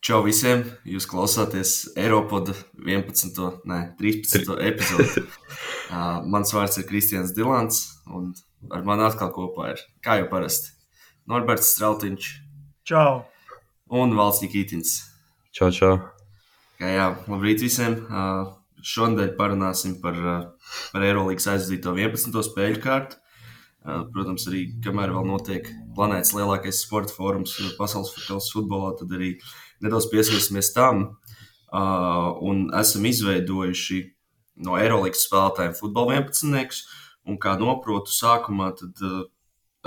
Čau visiem! Jūs klausāties Eiropoda 13. epizodi. Mans vārds ir Kristians Dilants, un ar mani atkal kopā ir, kā jau parasti, Norberts Strautiņš. Čau! Un Valds Nikitins. Čau, čau. Labrīt visiem! Šonadēļ parunāsim par Eirolīgas aizvadīto 11. spēļu kārtu. Protams, arī kamēr vēl notiek planētas lielākais sporta fórums pasaules futbolā, tad arī nedaudz pieskarsimies tam. Un esam izveidojuši no Eirolīgas spēlētājiem futbola 11-niekus, un kā noprotu sākumā, tad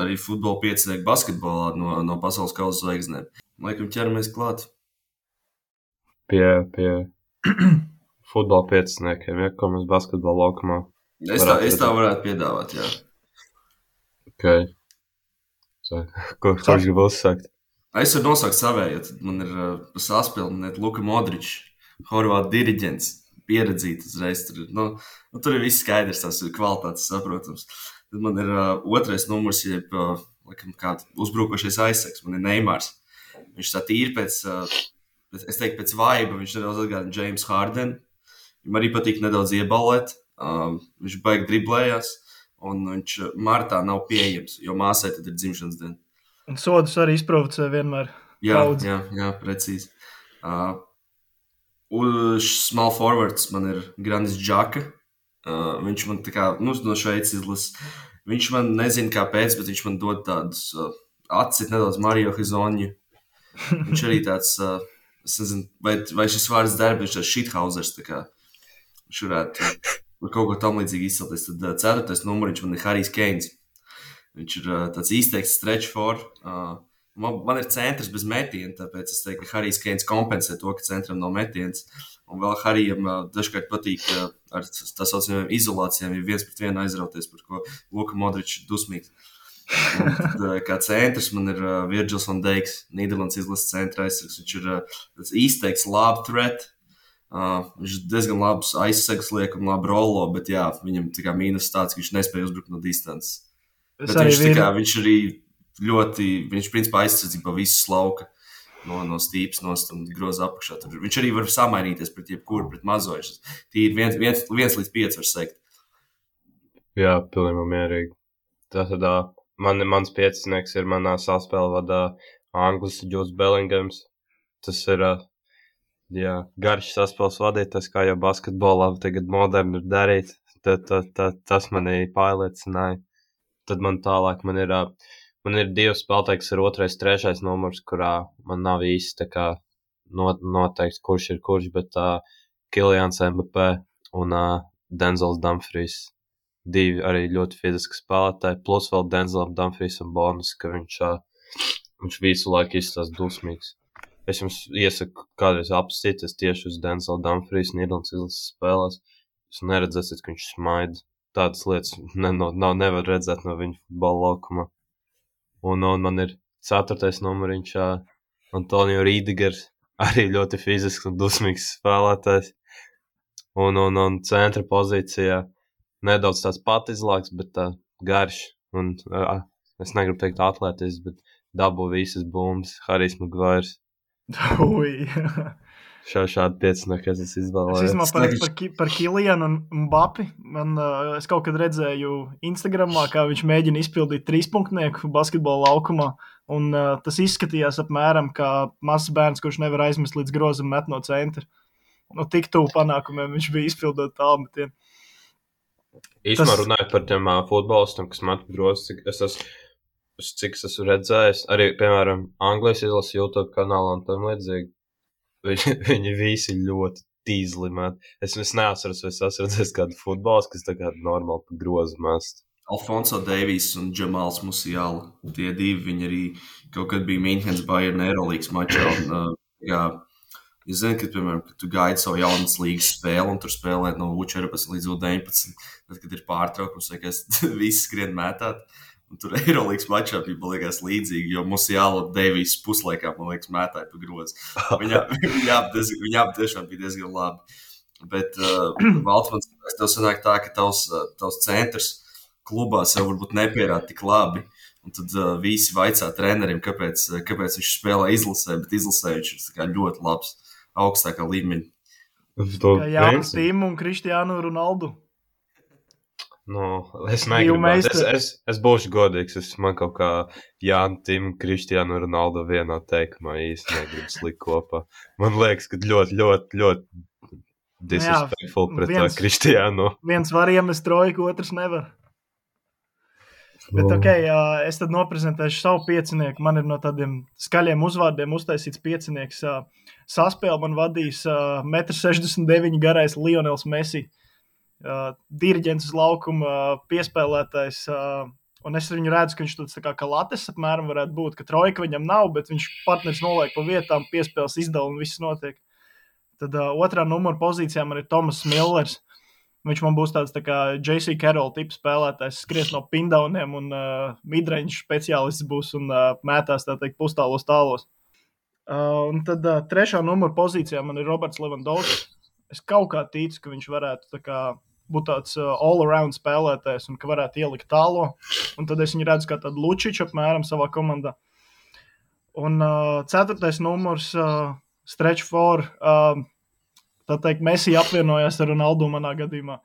arī futbola 5-nieku basketbolā no pasaules kausa zvaigznēm. Laikam ķeramies klāt. Pie futbola 5-niekiem, ja, ko mēs basketbola laukumā. Es tā varētu piedāvāt, jā. Okay. Kurš grib uzsākt? Es varu nosaukt savēju, tad man ir saspilnēt Luka Modričs, Horvātu diriģents, pieredzīts uzreiz. Tur ir viss skaidrs, tās ir kvalitātes saprotams. Tad man ir otrais numurs, jeb kāds uzbrukošais aizsargs, man ir Neimārs. Viņš tā tīri pēc vaiba, viņš nedaudz atgādina James Harden. Viņam arī patīk nedaudz iebalēt, viņš baigi driblējās. Un viņš martā nav pieejams, jo māsai tad ir dzimšanas diena. Un sodus arī izprovocē vienmēr. Jā, precīzi. Small forwards man ir Grandis Džaka. Viņš man tā kā, no Šveices izlases. Viņš man nezina kāpēc, bet viņš man dod tādus atcit nedaudz Mario Hizoņu. Viņš arī tāds, es nezinu, vai šis vārds der, bet viņš tāds shithausers, tā kā viņš varētu kaut ko tam līdzīgi izcelties. Tad 4. numuriņš man ir Harijs Keins. Viņš ir tāds izteikts stretch four. Man ir centrs bez metiena, tāpēc es teiktu, ka Harijs Keins kompensē to, ka centram nav metiens. Un vēl Harijam dažkārt patīk ar tā saucamajām izolācijām, ja 1-1 aizrauties, par ko Luka Modričs ir dusmīgs. Un tad, kā centrs man ir Virgils van Dijks, Nīderlandes izlases centra aizsargs. Viņš ir tāds izteikts lob threat. Viņš diezgan labs aizsegs liek un labi rolo, bet jā, viņam tā kā mīnus tāds, ka viņš nespēja uzbrukt no distances. Bet viņš arī ļoti, viņš principā aizsardzībā visu lauka no stīpas nost un groza apakšā. Viņš arī var samainīties pret jebkuru, pret mazo. Tī ir 1-5 var sekt. Jā, pilnībā mierīgi. Tātad mans 5-nieks ir manā saspēle vadā Anglis Judes Bellingams. Tas ir garš saspēles vadītājs, kā jau basketbolā tagad moderni ir darīt. Tas manī pārliecināja. Tad man tālāk man ir divi spēlētāji, kas ir 2., 3. numurs, kurā man nav īsti tā kā noteikts, kurš ir kurš, bet Kilians Mbappé un Denzels Dumfries. Divi arī ļoti fiziski spēlētāji, plus vēl Denzelam Dumfriesam bonus, ka viņš visu laiku izstāst dusmīgs. Es jums iesaku kādreiz apstīties tieši uz Denzela Dumfries Nīderlandes izlases spēlēs. Jūs neredzēsiet, ka viņš smaida. Tādas lietas nevar redzēt no viņa futbola laukumā. Un man ir 4. numuriņš Antonio Rīdigers, arī ļoti fizisks un dusmīgs spēlētājs. Un centra pozīcijā nedaudz tāds patizlāks, bet garš. Un es negribu teikt atlētis, bet dabū visas bumbas, Harijs Maguires. Šādi 5, kas es izvēlējos. Es izdomāju par Kilianu un Mbapi. Es kaut kad redzēju Instagramā, kā viņš mēģina izpildīt 3-punktnieku basketbola laukumā. Un tas izskatījās apmēram kā mazs bērns, kurš nevar aizmest līdz grozam met no centra. Tik tuvu panākumiem viņš bija izpildot tālmetienu. Īstumā runājot par tiem futbolistam, kas met grozs, cik es esmu redzējis, arī, piemēram, Anglijas izlases YouTube kanālā un tam līdzīgi. Viņi visi ļoti tīzli met. Es neatceros, vai es esmu redzējis kādu futbols, kas tā kā normāli pa grozu mest. Alfonso Davies un Džamals Musiala. Tie divi, viņi arī kaut kad bija Münchens Bayern Eirolīgas mačā. Es zinu, ka, piemēram, kad tu gaidi savu jaunas līgas spēli un tur spēlē no U14 līdz U19, tad, kad ir pārtraukums, vai kas visi skrien mētāt. Un tur Eirolīgas mačā bija, man liekas, līdzīgi, jo Musiala Davies puslaikā, man liekas, mētāja pa grozu. Viņa ap tiešām bija diezgan labi. Bet, Valtmans, tev sanāk tā, ka tavs centrs klubā sev varbūt nepierāda tik labi. Un tad visi vaicā trenerim, kāpēc viņš spēlē izlasē, bet izlasē viņš ir tā kā ļoti labs, augstākā līmeņa. Kā Jānis Tīmu un Krištiānu Ronaldu. Es negribētu. Es būšu godīgs. Man kaut kā Jānis Tīmu un Krištiānu Ronaldu vienā teikumā īsti negribu slikt kopā. Man liekas, ka ļoti disrespectful pret Krištiānu. Viens var iemest trojku, otrs nevar. Bet es tad noprezentēšu savu piecinieku. Man ir no tādiem skaļiem uzvārdiem uztaisīts piecinieks. Saspēli man vadīs 1,69 m garais Lionels Messi. Diriģents uz laukuma, piespēlētājs. Un es viņu redzu, ka viņš tāds tā kā Lates apmēram varētu būt, ka trojka viņam nav, bet viņš partneris noliek pa vietām, piespēles izdala un viss notiek. Tad otrā numura pozīcijā man ir Tomas Millers. Viņš man būs tāds tā kā J.C. Carroll tips spēlētājs, skries no pindauniem un midrange speciālists būs un mētās, tā teikt, pustālos tālos. Un tad trešā numura pozīcijā man ir Roberts Lewandowskis. Es kaut kā ticu, ka viņš varētu tā kā būt tāds all-around spēlētājs un ka varētu ielikt tālo. Un tad es viņu redzu kā tādu Lučiču apmēram savā komandā. Un ceturtais numurs, stretch four, tā teikt, Messi apvienojās ar Ronaldu manā gadījumā.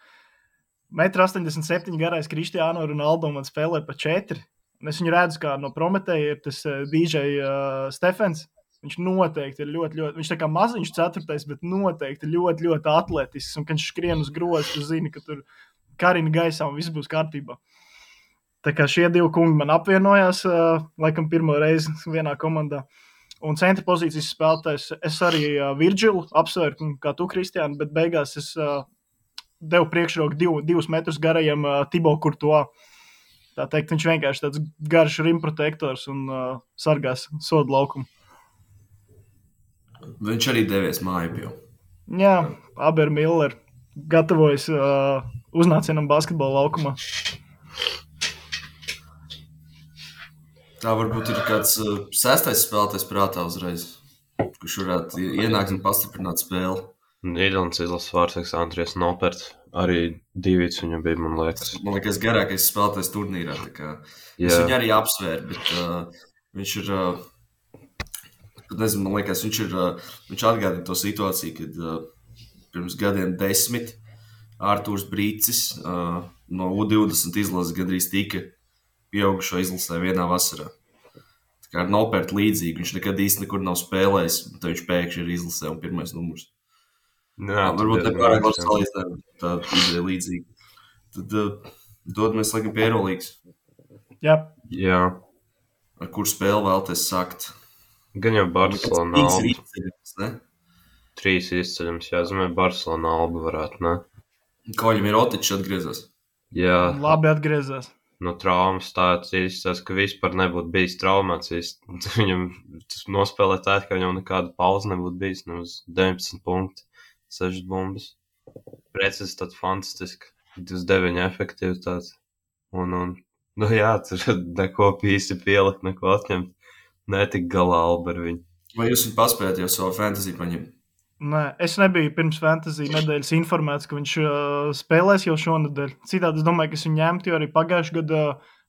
1,87 m garais Krištiānu Ronaldu man spēlē pa 4. Un es viņu redzu, kā no Prometēja ir tas DJ Stefens. Viņš noteikti ir ļoti, viņš tā kā maziņš 4, bet noteikti ļoti atletisks. Un, kad viņš skrien uz grozu, tu zini, ka tur karina gaisā un viss būs kārtībā. Tā kā šie divi kungi man apvienojās, laikam pirmo reizi vienā komandā. Un centra pozīcijas spēlētājs, es arī Virgilu apsvēru, kā tu, Kristiāni, bet beigās es devu priekšroku 2 metrus garajam Thibaut Courtois. Tā teikt, viņš vienkārši tāds garš rimprotektors un sargās sodu laukumu. Viņš arī devies māju jau. Jā, abi ar Milleru gatavojas uznācienam basketbola laukumā. Tā varbūt ir kāds sestais spēlētājs prātā uzreiz, kurš varētu ienākt un pastiprināt spēli. Nīderlandes izlases vārdsargs Andries Noperts. Arī 2 viņam bija, man liekas. Man liekas, garākais spēlētājs turnīrā. Es viņu arī apsvēru, bet viņš ir, nezinu, man liekas, viņš atgādina to situāciju, kad pirms gadiem 10 Ārtūrs Brīcis no U20 izlases gandrīz tika pieaugušo izlasē vienā vasarā. Tā kā ar Nopertu līdzīgi, viņš nekad īsti nekur nav spēlējis, bet viņš pēkšņi ir izlasē un pirmais numurs. Varbūt nepārāk labs salīdzinājumi, tā izdeja līdzīgi. Tad dodamies laikam pie Eirolīgas. Jā. Ar kur spēli vēlaties sākt? Gan jau Barcelona Alba. 3 izceļams, ne? 3 izceļams, jā, zinu, Barcelona Alba varētu, ne? Koļam ir Otičs atgriezās. Jā. Labi atgriezās. No traumas tāds izstāsts, ka vispār nebūtu bijis traumāts. Viņam nospēlē tā, ka viņam nekāda pauze nebūtu bijis. Uz 19 punkti, 6 bumbas. Precis tāds fantastiski. 29 efektivitātes. Un jā, tur neko īsti pielikt, neko atņemt. Netik galā Alba ar viņu. Vai jūs paspējat jau savu fantasy paņemt? Nē, es nebiju pirms fantasy nedēļas informēts, ka viņš spēlēs jau šonedēļ. Citādi es domāju, ka es viņu ņemtu, jo arī pagājušajā gadā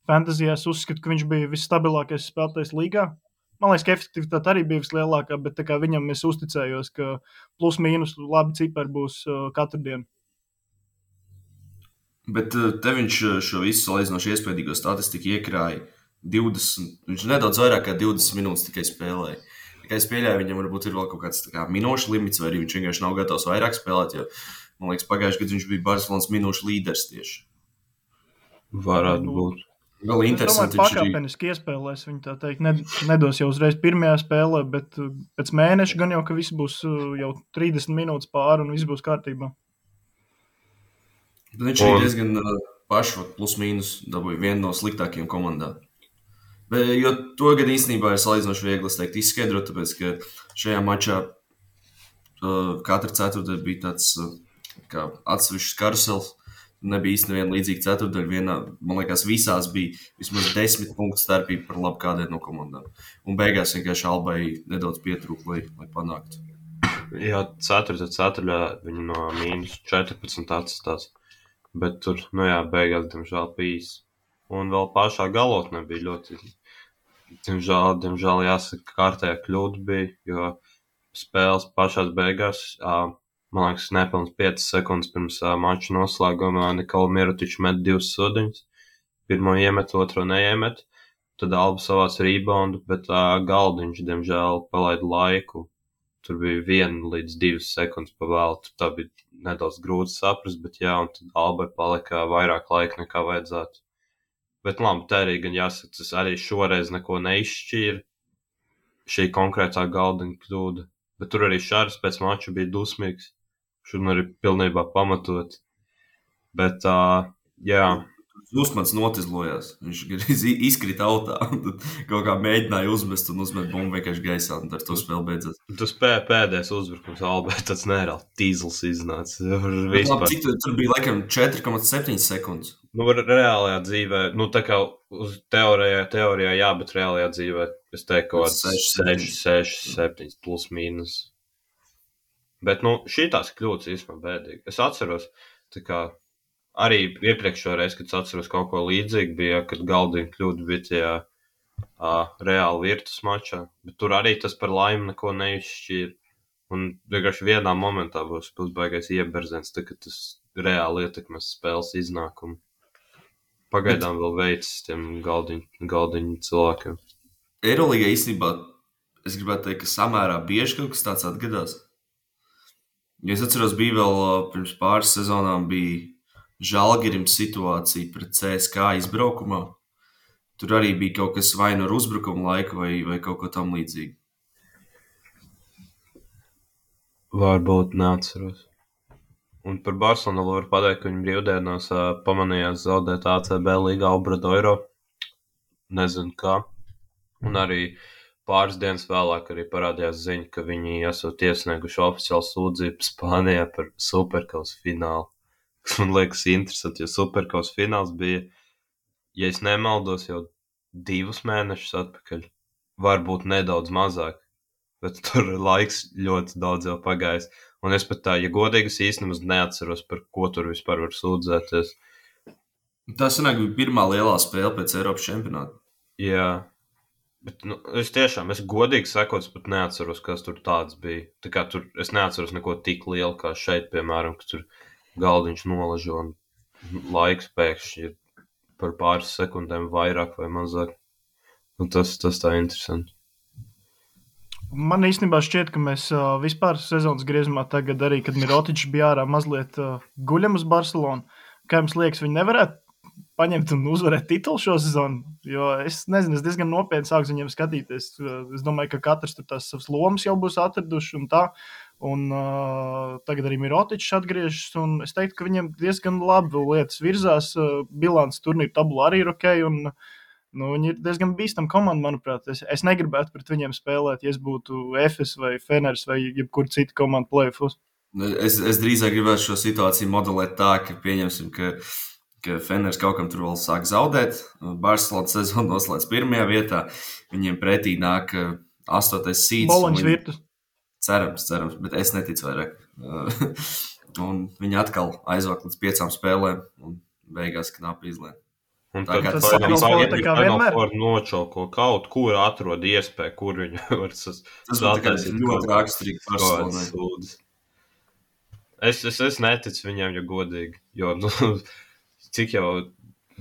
fantasyjā es uzskatu, ka viņš bija visstabilākais spēlētājs līgā. Man liekas, ka efektivitāte arī bija vislielākā, bet tā kā viņam es uzticējos, ka plus mīnus labi cipari būs katru dienu. Bet te viņš šo visu salīdzinoši iespējīgo statistiku iekrāja 20, viņš nedaudz vairāk kā 20 minūtes tikai spēlēja. Kā es pieļauju, viņam varbūt ir vēl kaut kāds minūšu limits, vai arī viņš vienkārši nav gatavs vairāk spēlēt, jo, man liekas, pagājušajā gadā viņš bija Barcelonas minūšu līderis tieši. Varētu būt. Vēl interesanti. Es domāju, pakāpeniski iespēlēs viņu, tā teikt, nedos jau uzreiz pirmajā spēlē, bet pēc mēneša gan jau, ka viss būs jau 30 minūtes pāri un viss būs kārtībā. Bet viņš ir diezgan pašu plus mīnus dabūja vienu no sliktākajiem komandām. Jo to gadu īstenībā ir salīdzinoši viegli, es teiktu, izskaidrot, tāpēc, ka šajā mačā katra ceturtdaļa bija tāds kā atsevišķs karusels. Nebija īsti neviena līdzīga ceturtdaļa. Man liekas, visās bija vismaz 10 punktu starpība par labu kādai no komandām. Un beigās vienkārši Albai nedaudz pietrūka, lai panāktu. Jā, ceturtdaļā viņi no -14 atstās. Bet tur, beigās, diemžēl, pīs. un vēl pašā galotnē bija ļoti, diemžēl jāsaka, kārtējā kļūda bija, jo spēles pašās beigās, man liekas, nepilns 5 sekundes pirms mača noslēguma Nikola Mirotičs met 2 sudiņus. Pirmo iemet, otro neiemet. Tad Alba savāc reboundu, bet Galdiņš, diemžēl, palaida laiku. Tur bija 1 līdz 2 sekundes pa vēlu. Tā bija nedaudz grūti saprast, bet jā, un tad Albai palika vairāk laika nekā vajadzētu. Bet labi, tā arī gan jāsaka, tas arī šoreiz neko neizšķīra. Šī konkrētā Galdiņa kļūda. Bet tur arī Šārs pēc mača bija dusmīgs. Šodien arī pilnībā pamatot. Bet, jā. Uzmans notizlojās. Viņš izkrita autā. Tad kaut kā mēģināja uzmest un uzmet bumbu vienkārši gaisā. Un ar to spēle beidzās. Tas pēdējais uzbrukums Albai, tāds nereāli tīzls iznāca. Cik tur bija laikam 4,7 sekundes? Nu, reālajā dzīvē, nu tā kā uz teorijā jā, bet reālajā dzīvē es teiktu, ka 6, 7 plus mīnus. Bet, nu, šitās kļūdas īstenībā bēdīgi. Es atceros, tā kā arī iepriekšējā reize, kad es atceros kaut ko līdzīgu, bija, kad Galdiņa kļūda bija tajā reāli virtus mačā, bet tur arī tas par laimi neko neizšķīra. Un vienkārši vienā momentā būs baigais ieberzens, tā, ka tas reāli ietekmēs spēles iznākumu. Pagaidām vēl veids tiem Galdiņu cilvēkiem. Eirolīgā īstenībā es gribētu teikt, ka samērā bieži kaut kas tāds atgadās. Ja es atceros, bija vēl pirms pāris sezonām bija Žalgirim situācija pret CSKA izbraukumā. Tur arī bija kaut kas vai no uzbrukuma laika vai kaut ko tam līdzīgi. Varbūt neatceros. Un par Barcelonu var pateikt, ka viņi brīvdienās pamanījās zaudēt ACB līgā Obradoiro. Nezinu kā. Un arī pāris dienas vēlāk arī parādījās ziņa, ka viņi esot iesnieguši oficiālu sūdzību Spānijā par Superkausa finālu. Man liekas interesanti, jo Superkausa fināls bija, ja es nemaldos, jau 2 mēnešus atpakaļ. Varbūt nedaudz mazāk, bet tur laiks ļoti daudz jau pagājis. Un es pat tā, ja godīgi, es īstenībā neatceros, par ko tur vispār var sūdzēties. Tā sanāk bija pirmā lielā spēle pēc Eiropas čempionāta. Jā, bet nu, es godīgi sakot, pat neatceros, kas tur tāds bija. Tā kā tur es neatceros neko tik lielu kā šeit, piemēram, ka tur Galdiņš nolažo un laiks pēkšņi ir par pāris sekundēm vairāk vai mazāk. Un tas tā interesanti. Man īstenībā šķiet, ka mēs vispār sezonas griezumā tagad arī, kad Mirotičs bija ārā, mazliet guļam uz Barcelonu. Kā jums liekas, viņi nevarētu paņemt un uzvarēt titulu šo sezonu? Jo es nezinu, es diezgan nopietni sāku viņiem skatīties. Es domāju, ka katrs tur tās savas lomas jau būs atraduši un tā. Un tagad arī Mirotičs atgriežas, un es teiktu, ka viņiem diezgan labi lietas virzās. Bilants turnīra tabula arī ir ok, un viņi ir diezgan bīstama komanda, manuprāt. Es negribētu pret viņiem spēlēt, ja es būtu Efes vai Feners vai jebkur cita komanda play-offs. Es drīzāk gribētu šo situāciju modelēt tā, ka pieņemsim, ka Feners kaut kam tur vēl sāk zaudēt. Barcelona sezonu noslēdz 1. vietā. Viņiem pretī nāk 8. seeds. Boloņas virtus. Cerams, bet es neticu vairāk. Un viņi atkal aizvāk līdz 5 spēlēm un beigās knapi izlēma. Un tagad var nočauko kaut kur atrod iespēju, kur viņi var tas ļoti raksturīgi Barcelonai. Es neticu viņiem, ja godīgi, jo cik jau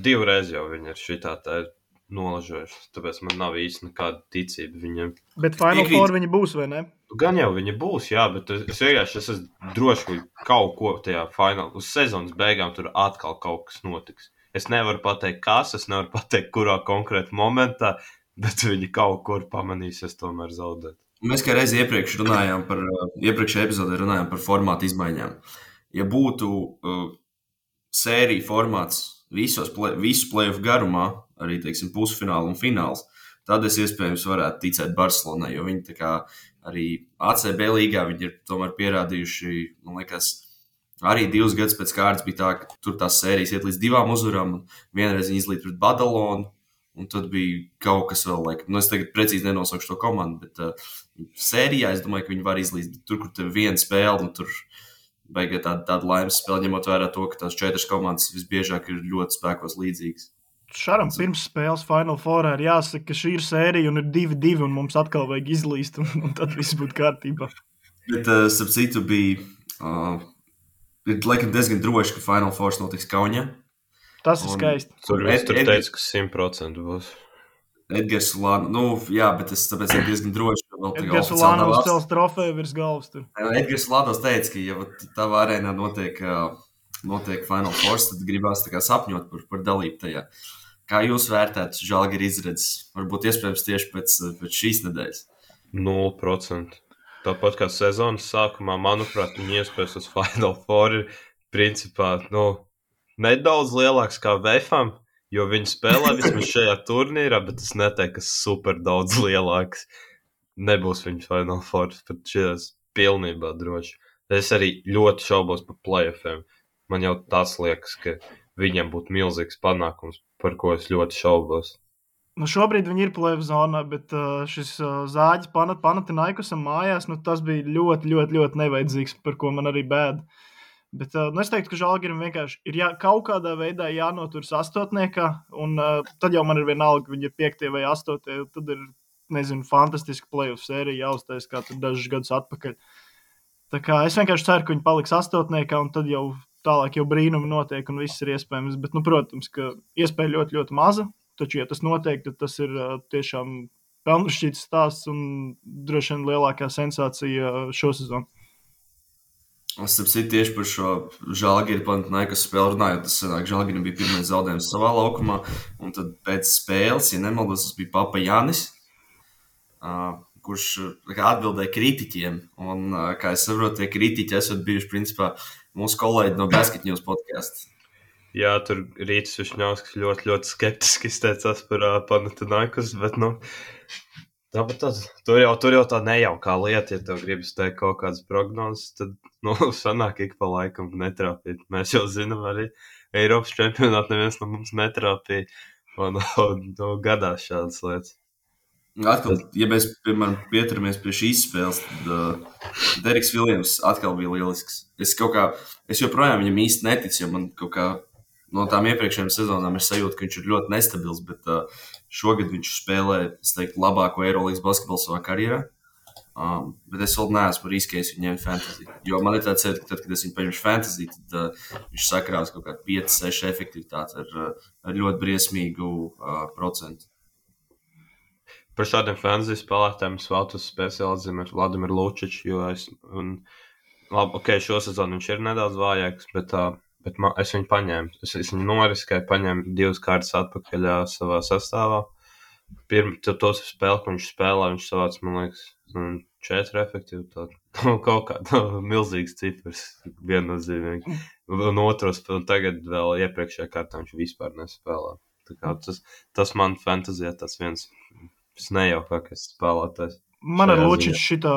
2 reizes jau viņi ir šitā tā nolažojuši, tāpēc man nav īsti nekāda ticība viņiem. Bet Final Four viņi būs, vai ne? Gan jau viņi būs, jā, bet es vienkārši esmu droši, ka kaut ko tajā finālā, uz sezonas beigām tur atkal kaut kas notiks. Es nevaru pateikt, kas, es nevaru pateikt, kurā konkrēta momentā, bet viņi kaut kur pamanīsies tomēr zaudēt. Mēs kā reizi iepriekšējā epizodē runājām par formātu izmaiņām. Ja būtu sērija formāts visu play-off garumā, arī, teiksim, pusfinālu un fināls, tad es iespējams varētu ticēt Barcelonai, jo viņi tā kā arī ACB līgā viņi ir tomēr pierādījuši, man liekas, arī 2 gadus pēc kārtas bija tā, ka tur tās sērijas iet līdz 2 uzvarām, un vienreiz viņi izlīd pret Badalonu, un tad bija kaut kas vēl, es tagad precīzi nenosaukšu to komandu, bet sērijā es domāju, ka viņi var izlīdz, bet tur, kur tev viena spēle, un tur beigā tāda laimes spēle, ņemot vērā to, ka tās 4 komandas visbiežāk ir ļoti spēkos līdzīgas. Šaram pirms spēles Final Fourā ir jāsaka, ka šī ir sērija un ir 2-2 un mums atkal vajag izlīst un tad viss būtu kārtībā. Bet, starp citu, ir laikam diezgan droši, ka Final Four notiks Kaunijā. Tas ir skaisti. Tur teica, ka 100% būs. Edgars Ulānovs, jā, bet es tāpēc ir diezgan droši, ka vēl tagad Edgars Ulānovs cels trofeju virs galvas tur. Edgars Ulānovs teica, ka, ja tavā arēnā notiek Final Four, tad gribās tā kā sapņot par dalību tajā. Kā jūs vērtētu Žalgiris izredzes? Varbūt iespējams tieši pēc šīs nedēļas? 0%. Tāpat kā sezonas sākumā, manuprāt, viņi iespējas uz Final Four ir principā, nedaudz lielāks kā Vefam, jo viņi spēlē vismaz šajā turnīrā, bet es neteiktu, ka super daudz lielāks. Nebūs viņu Final Four, pat šajās pilnībā droši. Es arī ļoti šaubos par playoffiem. Man jau tas liekas, ka viņiem būtu milzīgs panākums, par ko es ļoti šaubos. Šobrīd viņi ir playoff zonā, bet šis zāģis Panathinaikosam mājās, tas bija ļoti, ļoti, ļoti nevajadzīgs, par ko man arī bēda. Bet es teiktu, ka Žalgirim vienkārši ir kaut kādā veidā jānoturas astotniekā, un tad jau man ir vienalga, viņi ir 5. vai 8. Tad ir, fantastiska playoff sērija jāuztais, kā tur dažus gadus atpakaļ. Tā kā es vienkārši ceru, ka viņi paliks astotniekā, un tad jau tālāk jau brīnumi notiek, un viss ir iespējams. Bet, protams, ka iespēja ļoti, ļoti maza, taču, ja tas notiek, tad tas ir tiešām pelnušķīts stāsts un droši vien lielākā sensācija šo sezonu. Es saprotu tieši par šo Žalgiris Panathinaikos spēli runājot. Tas sanāk, Žalgirim bija pirmais zaudējums savā laukumā, un tad pēc spēles, ja nemaldos, tas bija Papa Jānis, kurš atbildēja kritiķiem. Un, kā es saprotu, tie kritiķi esat bijuši principā mūsu kolēģi no Basket News podcastu. Jā, tur Rītis Višņovskis ļoti, ļoti skeptiski izteicās par Panathinaikos, bet, tur jau tā nejaukā lieta, ja tev gribas teikt kaut kādas prognozes, tad, sanāk ik pa laikam netrāpīt. Mēs jau zinām arī Eiropas čempionātu neviens no mums netrāpīja, un gadās šādas lietas. Atkal, ja mēs, piemēram, pieturamies pie šīs spēles, tad Deriks Viljams atkal bija lielisks. Es joprojām viņam īsti neticu, jo man kaut kā no tām iepriekšējām sezonām ir sajūta, ka viņš ir ļoti nestabils, bet šogad viņš spēlē, es teiktu, labāko Eirolandes basketbolu savā karjerā. Bet es vēl neesmu riskējis viņu ņemt fantasy. Jo man ir tāds sajūta, ka tad, kad es viņu paņemšu fantasy, tad viņš sakrās kaut kādu 5-6 efektivitāti ar ļoti briesmīgu procentu. Par šādiem fantasy spēlētājiem es vēlos speciāli atzīmēt Vladimiru Lučiču, jo šo sezonu viņš ir nedaudz vājāks, bet es viņu paņēmu. Es viņu noriskēju, paņēmu 2 kārtas atpakaļ savā sastāvā. Tos spēli, ko viņš spēlē, viņš savāc, man liekas, 4 efektivitāti. Kaut kāda milzīgs cipars, viennozīmīgi. Un tagad vēl iepriekšējā kārtā viņš vispār nespēlē. Tā kā tas man fantasijā tas viens nejaukākais spēlētājs. Man ar Lučiču šitā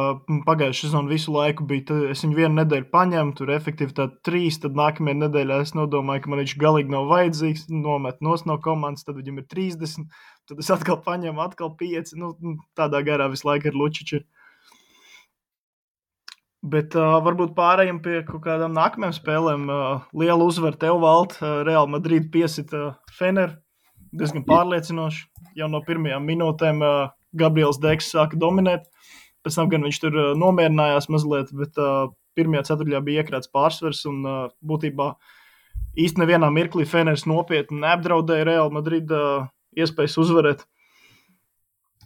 pagājušā sezona visu laiku bija, es viņu vienu nedēļu paņēmu, tur efektivitāti 3, tad nākamajā nedēļā es nodomāju, ka man viņš galīgi nav vajadzīgs, nomet nos no komandas, tad viņam ir 30, tad es atkal paņēmu, atkal 5, tādā garā visu laiku ar Lučiču ir. Bet varbūt pārējiem pie kaut kādām nākamajām spēlēm. Liela uzvara tev, Valt, Real Madrid piesita Fener, diezgan pārliecinoši. Jau no pirmajām minūtēm Gabriels Deks sāka dominēt. Pēc tam gan viņš tur nomierinājās mazliet, bet pirmajā ceturtajā bija iekrāts pārsvars un būtībā īsti nevienā mirklī Feners nopietni neapdraudēja Real Madrid iespējas uzvarēt.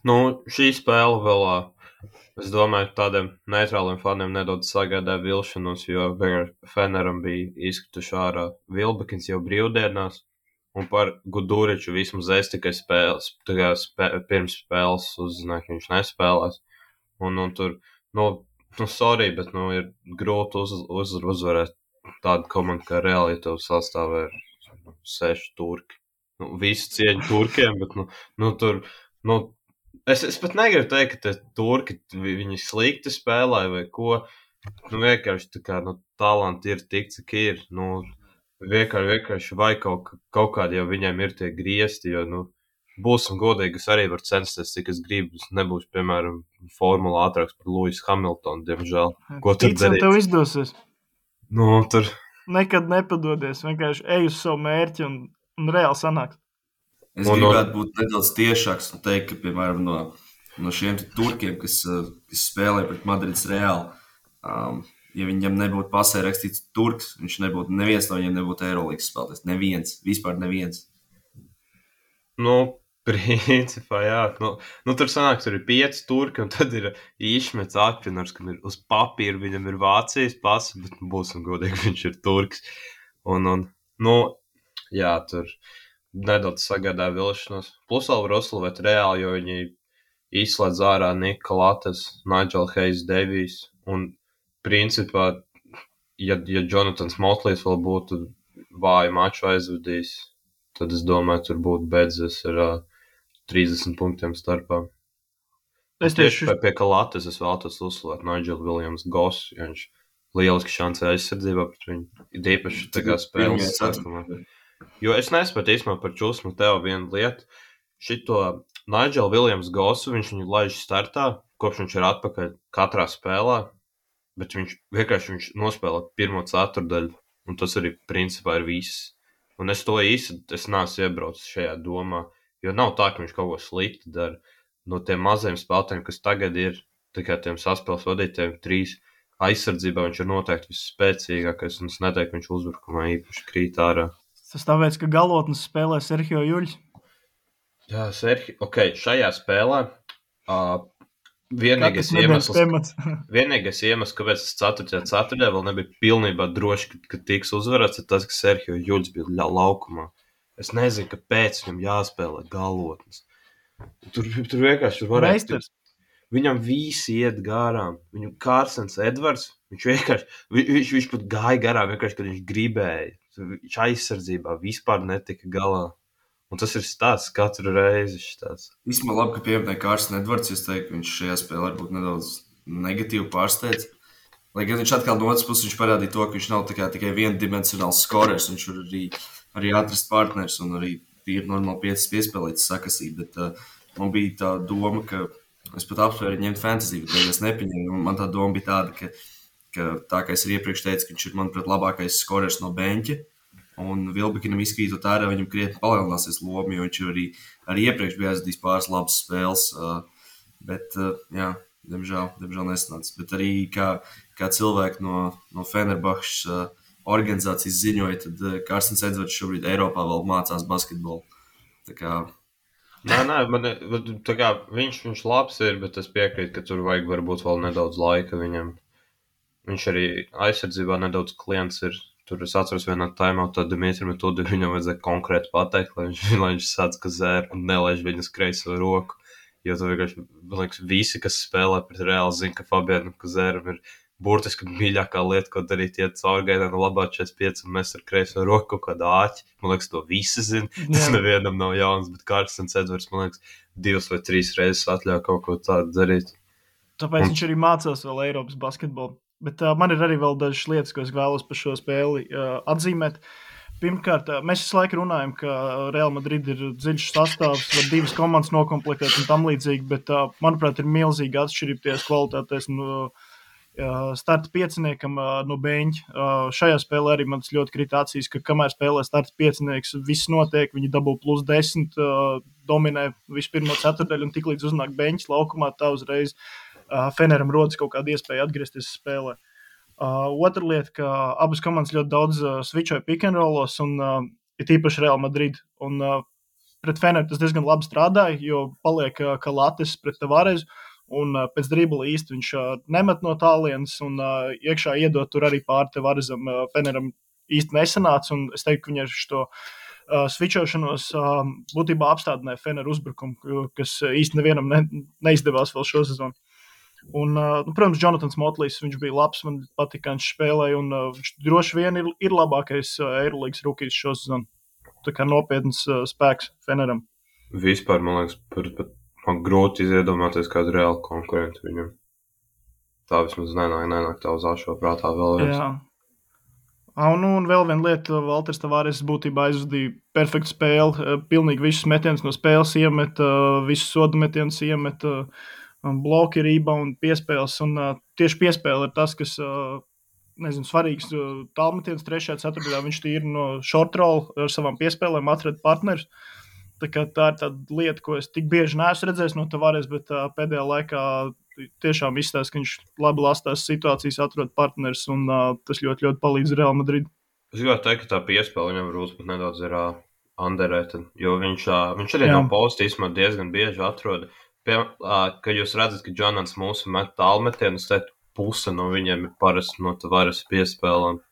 Šī spēle vēl, es domāju, tādiem neitrāliem faniem nedaudz sagādāja vilšanos, jo Feneram bija izkrituši ārā Vilbekins jau brīvdienās. Un par Guduriču vismaz es tikai pirms spēles uzzināju, ka viņš nespēlēs. Un tur, sorry, bet ir grūti uzvarēt tādu komandu kā Real, ja tev sastāvē ir 6 turki. Visi cieņi turkiem, bet tur, es pat negribu teikt, ka te turki viņi slikti spēlē vai ko. Vienkārši tā kā, talanti ir tik, cik ir, vienkārši vai kaut kādi jau viņiem ir tie griezti, jo, būsim godīgi, es arī varu censties, cik es gribu, es nebūšu, piemēram, formula ātrāks par Lewis Hamiltonu, diemžēl. Ko tur darīt? Tev izdosies. Tur. Nekad nepadodies, vienkārši ej uz savu mērķi un reāli sanāks. Es gribētu būt nedaudz tiešāks un teikt, ka, piemēram, no šiem turkiem, kas spēlē pret Madrides Reāli, ja viņam nebūtu pasē rakstīts turks, neviens no viņiem nebūtu Eirolīgas spēlētājs. Neviens, vispār neviens. Principā, jā. Tur sanāk, tur ir 5 turki, un tad ir Išmets Akvinors, kam ir uz papīra, viņam ir Vācijas pasi, bet būsim godīgi, viņš ir turks. Jā, tur nedaudz sagādāja vilšanos. Plus vēl var uzslavēt Reāli, jo viņi izslēdz ārā Nika Lates, Nigel Hayes Davies, un principā, ja Jonatans Motlīs vēl būtu vāju maču aizvadījis, tad es domāju, tur būtu beidzies ar 30 punktiem starpā. Es tieši pie Kalates es vēlētos uzslavēt Nigel Williams Goss, jo viņš lieliski šancē aizsardzībā pret viņu. Ir īpaši tā kā spēles sākumā. Jo es nespētu īstenībā par Čusmu tev vienu lietu. Šito Nigel Williams Gossu viņš viņu laiž startā, kopš viņš ir atpakaļ katrā spēlē, bet viņš nospēlē pirmo ceturdaļu, un tas arī principā ir viss. Un es neesmu iebraucis šajā domā. Jo nav tā, ka viņš kaut ko slikti dara. No tiem mazajiem spēlētājiem, kas tagad ir, tā kā tiem saspēles vadītājiem 3 aizsardzībā, viņš ir noteikti visspēcīgākais, un es neteiktu, ka viņš uzbrukumā īpaši krīt ārā. Tas tāpēc, ka galotnes spēlē Serhio Juļs. Jā, šajā spēlē vienīgais iemesls, kāpēc es 4. ceturtajā vēl nebija pilnībā droši, ka tiks uzvarēts, ir tas, ka Serhio Juļs bija laukumā. Es nezinu, kāpēc viņam jāspēlē galotnes. Tur vienkārši varētu. Viņam visi iet garām. Viņam Kārsens Edvards, viņš pat gāja garām, vienkārši, kad viņš gribēja. Viņš aizsardzībā vispār netika galā. Un tas ir stāsts katru reizi. Īstumā labi, ka pieminēja Kārsens Edvards, es teiktu, ka viņš šajā spēlē varbūt nedaudz negatīvi pārsteidz. Lai gan viņš atkal no otras puses viņš parādīja to, ka viņš nav tikai viendimensionāls skorers, viņš var arī atrast partners un arī ir normāli piespēlēts sakasīt, bet man bija tā doma, ka es pat apsvēru ņemt fantasy, bet es nepieņēmu. Man tā doma bija tāda, ka tā kā es arī iepriekš teicu, ka viņš ir, manuprāt, labākais skorers no beņķa, un Vilbekinam izkrītot ārā, viņam krietni palielināsies loma, jo viņš arī iepriekš bija aizvadījis pāris labas spēles, bet, jā, diemžēl nesanāca. Bet arī kā cilvēki no Fenerbahčes organizācijas ziņoja, tad Kārsens Edvards šobrīd Eiropā vēl mācās basketbolu. Tā kā... Viņš labs ir, bet es piekrītu, ka tur vajag varbūt vēl nedaudz laika viņam. Viņš arī aizsardzībā nedaudz klients ir. Tur es atceros vienā timeoutā Dimitri Metodi, viņam vajadzēja konkrēti pateikt, lai viņš sāc kazēru un nelaiž viņas kreiso roku. Jo tur vienkārši, man liekas, visi, kas spēlē pret Reāli, zina, ka Fabianam Kazēram ir burtiski mīļākā lieta, ko darīt, iet caurgainā no labā 45 un mēs ar kreiso roku kaut kādā āķi. Man liekas, to visi zina. Tas nevienam nav jauns, bet Kārsens Edvards, man liekas, 2 vai 3 reizes atļauj kaut ko tādu darīt. Tāpēc viņš arī mācās vēl Eiropas basketbolu. Bet man ir arī vēl dažas lietas, ko es vēlos par šo spēli atzīmēt. Pirmkārt, mēs visu laiku runājam, ka Real Madrid ir dziļš sastāvs, var 2 komandas nokomplektēt un tam līdzīgi, bet, manuprāt, ir milzīga atšķirība tajās kvalitātēs starta pieciniekam no beņķa. Šajā spēlē arī man tas ļoti krita acīs, ka kamēr spēlē starta piecinieks, viss notiek, viņi dabū +10, dominē visu pirmo ceturdaļu un tiklīdz uznāk beņķis laukumā, tā uzreiz Feneram rodas kaut kāda iespēja atgriezties spēlē. Otra lieta, ka abas komandas ļoti daudz switchoja pick and rollos un ir īpaši Real Madrid. Un pret Feneru tas diezgan labi strādāja, jo paliek Kalates pret Tavarezu un pēc dribla īsti viņš nemet no tālienes un iekšā iedot tur arī pār Tavarezam. Feneram īsti nesanāca un es teiktu, ka viņi ar šo switchošanos būtībā apstādināja Feneru uzbrukumu, kas īsti nevienam neizdevās vēl šo sezonu. Un, protams, Jonatans Motlīs, viņš bija labs, man patika, viņš spēlēja, un viņš droši vien ir labākais Eirolīgas rukijs šo sezonu. Tā kā nopietns spēks Feneram. Vispār, man liekas, man grūti iedomāties kādu reālu konkurentu viņam. Tā vismaz nenāk tā uz ašo prātā vēl viens. Jā. Un vēl viena lieta, Valters Tavares būtībā aizvadīja perfektu spēli, pilnīgi visus metienus no spēles iemet, visus sodu metienus iemet, bloki, rebound, piespēles, un tieši piespēle ir tas, kas, svarīgs tālmetiens 3. ceturtajā, viņš tīri no short roll ar savām piespēlēm atrada partnerus, Tā ir tāda lieta, ko es tik bieži neesmu redzējis no Tavares, bet pēdējā laikā tiešām izstāsta, ka viņš labi lastās situācijas, atrod partners, un tas ļoti, ļoti palīdz Real Madrid. Es gribētu teikt, ka tā piespēle viņam varbūt pat nedaudz ir underrated, jo viņš arī no posta īstenībā diezgan bieži atrod. Kad jūs redzat, ka Jonans mūsu met tālmetienus, tad puse no viņiem ir parasti no Tavares piespēlēm,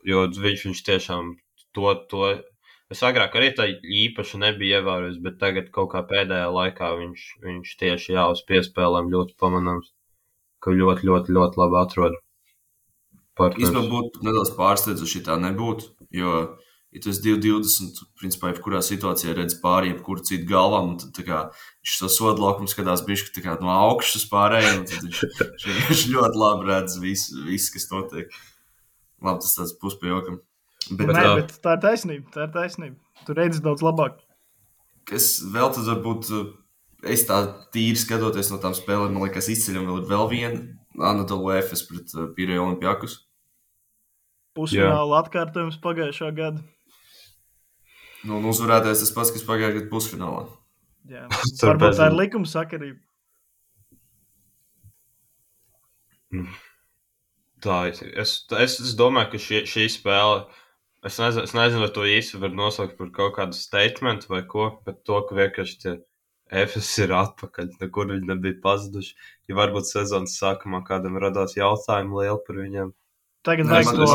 jo viņš tiešām to es agrāk arī tā īpaši nebija ievērojis, bet tagad kaut kā pēdējā laikā viņš tieši uz piespēlēm ļoti pamanāms, ka ļoti, ļoti, ļoti labi atrod partners. Īstenībā būtu nedaudz pārsteidzoši, ja tā nebūtu, jo, ja tu esi 2-20, principā, jebkurā situācijā redz pāri jebkuru citu galvām, un tad tā kā viņš to sodu laukumu skatās bišķi tā kā no augšas uz pārējiem, un tad viņš ļoti labi redz visu, kas notiek. Labi, tas tāds puspajokam. Bet tā ir taisnība. Tu redzi daudz labāk. Kas vēl tad varbūt, es tā tīri skatoties no tām spēlēm, man liekas, izceļam vēl viena Anadolu Efes pret Pireju Olimpiakus. Pusfināla atkārtojums pagājušā gada. Nu, un uzvarētājs tas pats, kas pagājušā gada pusfinālā. Jā, varbūt tā ir likuma sakarība. Tā, es domāju, ka šī spēle, es nezinu, vai to īsti var nosaukt par kaut kādu statementu vai ko, bet to, ka vienkārši tie Efes ir atpakaļ, nekur viņi nebija pazuduši. Ja varbūt sezonas sākumā kādam radās jautājumu lielu par viņiem. Tagad vajag to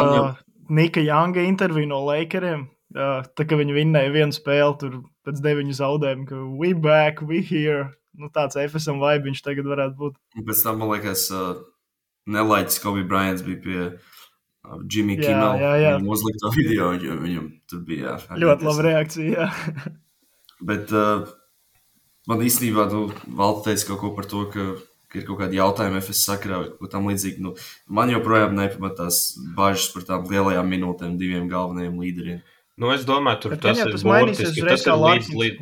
Nika Younga interviju no Lakeriem, tā ka viņi vinnēja vienu spēli tur pēc 9 zaudējumu, ka we back, we here. Nu, tāds Efesam vibe viņš tagad varētu būt. Un pēc tam, man liekas, nelaiķis Kobe Bryants bija pie Jimmy Kimmel. Viņam uzlikto video, jo viņam tur bija. Ļoti laba reakcija, jā. Bet man īstenībā, Valta teica kaut ko par to, ka ir kaut kādi jautājumi FS sakarā, ko tam līdzīgi. Man joprojām nepamatās bažas par tām lielajām minūtēm 2 galvenajiem līderiem. Es domāju, tur tas ir būtiski.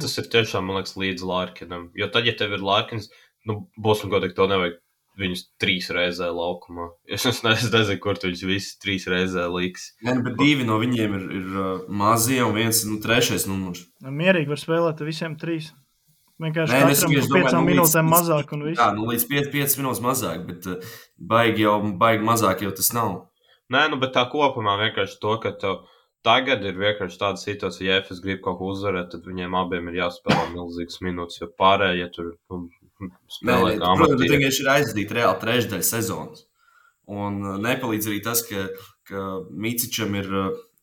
Tas ir tiešām, man liekas, līdz Larkinam. Jo tad, ja tev ir Larkins, būs un godīgi to nevajag viņus 3 reizē laukumā. Es nezinu, kur tu viņus visi 3 reizē liks. Nē, bet 2 no viņiem ir mazie un viens 3. numurs. Mierīgi var spēlēt visiem 3. Vienkārši katram 5 minūtēm mazāk un viss. Jā, līdz 5 minūtes mazāk, bet baigi mazāk jau tas nav. Nē, bet tā kopumā vienkārši to, ka tev tagad ir vienkārši tāda situācija, ja FS grib kaut ko uzvarēt, tad viņiem abiem ir jāspēlē milzīgas minūtes, jo pārējie, ja tur spēlē kā amatīri. Protams, bet vienkārši ir aizdīt reāli trešdaļa sezonas. Un nepalīdz arī tas, ka Micičam ir,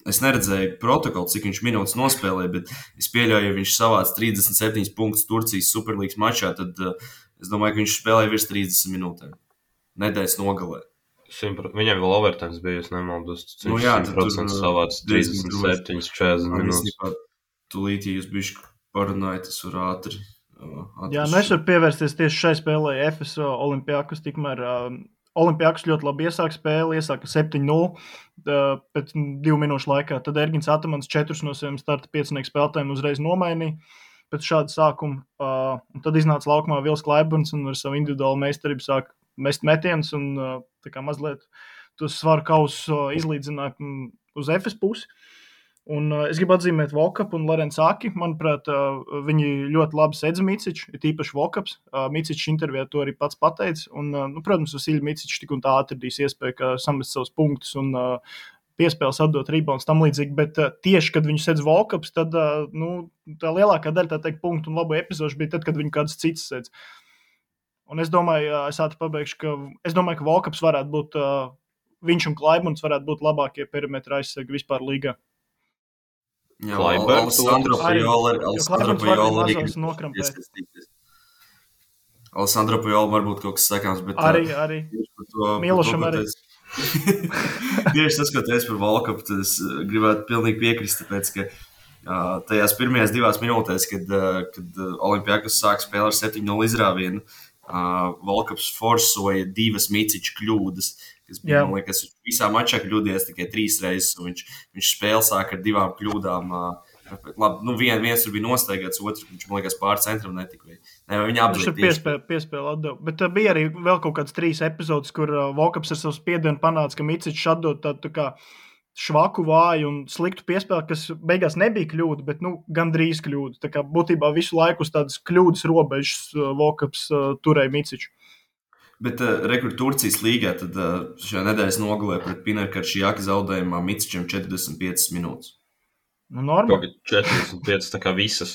es neredzēju protokolu, cik viņš minūtes nospēlēja, bet es pieļauju, ja viņš savāc 37 punktus Turcijas Superlīgas mačā, tad es domāju, ka viņš spēlēja virs 30 minūtēm. Nedēļas nogalē. Viņam vēl overtimes bija, es nemaldos. Viņš 100% savāc 37, 40 minūtes. Tūlīt, ja jūs bišķi parunājat, tas var ātri. Jā, es varu pievērsties tieši šai spēlē FS Olimpiakus, tikmēr Olimpiakus ļoti labi iesāka spēli, iesāka 7-0 pēc 2 minūšu laikā. Tad Ergins Atamans 4 no saviem starta 5 spēlētājiem uzreiz nomainīja pēc šāda sākuma. Un tad iznāca laukumā Vils Klaiburns un ar savu individuālu meistarību sāk mest metienus un tā kā mazliet tos svaru kausus izlīdzināt uz Efes pusi. Un es gribu atzīmēt Vokapu un Lorenz Aki. Manuprāt, viņi ļoti labi sedz Miciču, ir tīpaši Vokaps. Micičs intervijā to arī pats pateica. Un, protams, Vasilij Micičs tik un tā atradīs iespēju, ka samest savus punktus un piespēles atdot rebounds tam līdzīgi. Bet tieši, kad viņš sedz Vokaps, tad tā lielākā daļa, tā teikt, punktu un labu epizodu bija tad, kad viņi kāds cits sedz. Un es domāju, es ātri pabeigšu, ka Vokaps varētu būt, viņš un Klaiburns varētu būt labākie perimetra aizsargi vispār līgā. Jā, Alessandro Pajola arī Alessandro Pajola varbūt kaut kas sakāms, bet arī. Milošam arī. Tieši tas, ko teicu par Volkapu, tad es gribētu pilnīgi piekrist, tāpēc, ka tajās pirmajās 2 minūtēs, kad Olimpiakus sāk spēlēt ar 7-0 izrāvienu, Volkaps forsoja 2 Miciča kļūdas, kas bija, man liekas, visā mačā kļūdies tikai 3 reizes, un viņš spēli sāk ar 2 kļūdām. Labi, viens tur bija nostaigāts, otrs, viņš, man liekas, pār centram netika. Viņa apdzīja tieši. Piespēle atdeva. Bet bija arī vēl kaut kāds 3 epizodes, kur Volkaps ar savu spiedienu panāca, ka Micičs atdod tādu tā kā švaku, vāju un sliktu piespēli, kas beigās nebija kļūda, bet gandrīz kļūda. Tā kā būtībā visu laiku uz tādas kļūdas robežas Vokaps turēja Miciču. Bet rekur Turcijas līgā tad šajā nedēļas nogalē pret Pinerkaršijaka zaudējumā Micičam 45 minūtes. Normāli. 45, tā kā visas.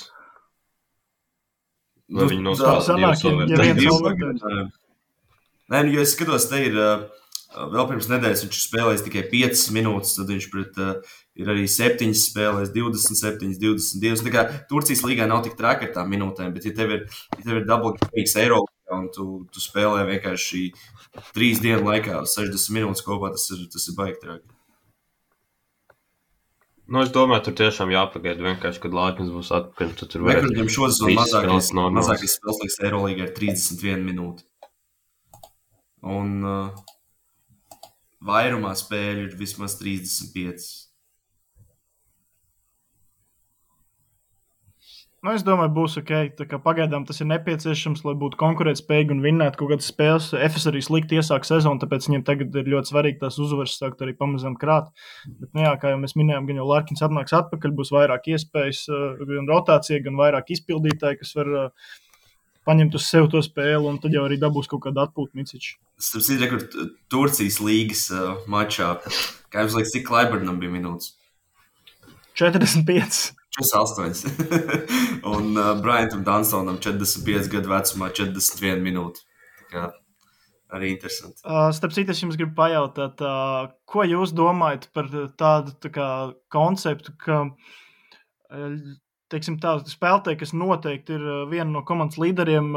Vai viņi sanāk, ja viens overtime. Nē, jo es skatos, te ir vēl pirms nedēļas viņš spēlējis tikai 5 minūtes, tad viņš pret ir arī 7 spēlējis, 27, 22. Tā kā Turcijas līgā nav tik traki ar tām minūtēm, bet ja tev ir double games Eiropā un tu spēlē vienkārši 3 dienu laikā 60 minūtes kopā, tas ir baigi traki. Es domāju, tur tiešām jāpagaida vienkārši, kad Lāķins būs atpakaļ. Rekordiem šodien mazākais spēles laiks Eirolīgā ir 31 minūte. Un vairumā spēļu ir vismaz 35. Es domāju, būs ok. Tā kā pagaidām tas ir nepieciešams, lai būtu konkurētspējīgi un vinnētu kaut kādas spēles. FS arī slikti iesāk sezonu, tāpēc viņiem tagad ir ļoti svarīgi tās uzvaras sākt arī pamazām krāt. Bet, kā jau mēs minējām, gan jau Larkins atnāks atpakaļ, būs vairāk iespējas, gan rotācija, gan vairāk izpildītāji, kas var paņemt uz sev to spēli, un tad jau arī dabūs kaut kādu atpūtu Miciču. Starp citu, Turcijas līgas mačā, kā jums liekas, cik Klaibernam bija minūtes? 45. 48. Un Bryantam Dunstonam 45 gadu vecumā 41 minūte. Tā arī interesanti. Starp citu, es jums gribu pajautāt, ko jūs domājat par tādu konceptu, ka spēlētāji, kas noteikti ir viena no komandas līderiem,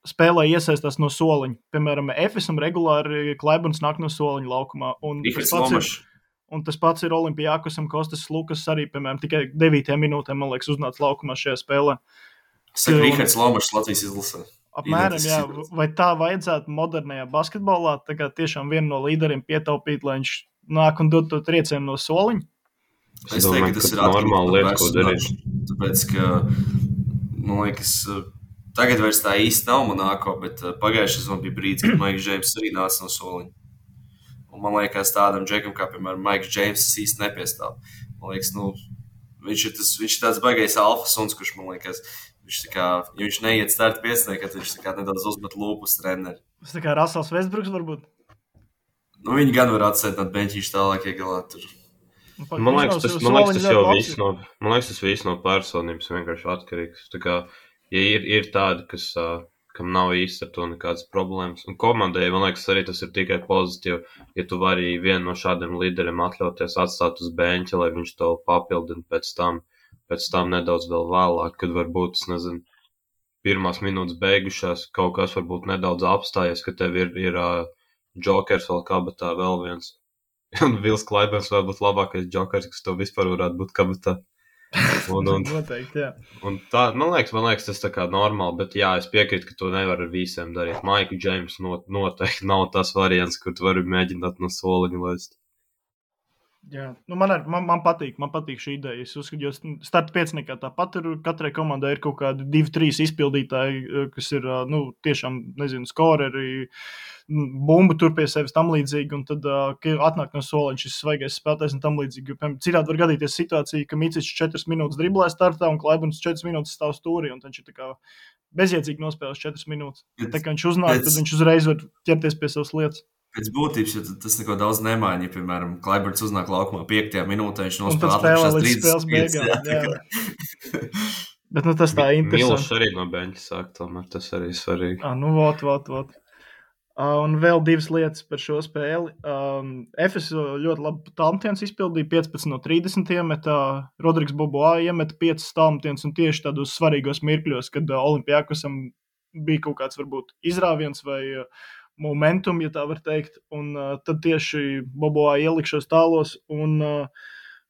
spēlē iesaistās no soliņa. Piemēram, FSam regulāri Klaiburns nāk no soliņa laukumā. Un tas pats ir Olimpijakosam, Kostas Lukas arī, piemēram, tikai 9 minūtēm, man liekas, uznāca laukumā šajā spēlē. Saka Rihards Lomašs Latvijas izlasē. Apmēram, jā. Vai tā vajadzētu modernajā basketbolā, tā kā tiešām vienu no līderiem pietaupīt, lai viņš nāk un dod to triecienu no soliņa? Es teiktu, ka tas ir normāli lieta, ko darīt. Tāpēc, ka, man liekas, tagad vairs tā īsti nav Monako, bet pagājušajā sezonā bija brīdis, kad Maiks Džeims arī nāca no soliņa. Un man liekas, tādam džekam, kā, piemēram, Maiks Džeims, tas īsti nepiestāv. Man liekas, viņš ir tāds baigais alfa suns, kurš, man liekas, ja viņš neiet starta piesniekā, tad viņš nedaudz uzmet lūpus treneri. Tas tā kā Rasels Vestbruks varbūt? Viņi gan var atsētināt beņķīšu tālāk iegalāt tur. Man liekas, tas viss no personības vienkārši atkarīgs. Tā kā, ja ir tādi, kam nav īsti ar to nekādas problēmas. Un komandai, man liekas, arī tas ir tikai pozitīvi, ja tu vari vienu no šādiem līderiem atļauties atstāt uz beņķa, lai viņš to papildina pēc tam nedaudz vēl vēlāk, kad varbūt, es nezinu, pirmās minūtes beigušās, kaut kas varbūt nedaudz apstājies, ka tev ir džokers vēl kabatā vēl viens. Un Vils Klaiburns var būt labākais džokers, kas tev vispār varētu būt kabatā. Noteikti, jā. Un tā, man liekas, tas tā kā normāli, bet jā, es piekrītu, ka to nevar ar visiem darīt. Maiku Džeims noteikti nav tas variants, kur tu vari mēģināt no soliņa laist. Jā, man patīk šī ideja. Es uzskatu, jo starta pieciniekā tāpat ir, katrai komandai ir kaut kādi 2-3 izpildītāji, kas ir, tiešām, nezinu, skoreri, bumbu tur pie sevis tam līdzīgi, un tad atnāk no soliņa šis svaigais spēlētājs un tam līdzīgi. Citādi var gadīties situācija, ka Micičs 4 minūtes driblē startā un Klaiburns 4 minūtes stāv stūrī, un viņš ir tā kā bezjēdzīgi nospēlēs 4 minūtes. Tā kā viņš uznāk, tad viņš uzreiz var ķerties pie savas lietas. Pēc būtības, jo tas neko daudz nemaina, ja, piemēram, Klaiburns uznāk laukumā 5. minūtē, viņš nospēlē atlikušās 30 beigām. Jā. Bet tas tā interesanti. Milošs arī no beņķa sāk, tomēr tas arī svarīgi. Vot. Un vēl 2 lietas par šo spēli. FS ļoti labi tālmetienus izpildīja, 15 no 30 iemetā, Rodrigs Boboā iemeta 5 tālmetienus, un tieši tādos svarīgos mirkļos, kad Olimpijakosam bija kaut kāds varbūt izrāviens vai momentum, ja tā var teikt, un tad tieši Boboā ielikšos tālos, un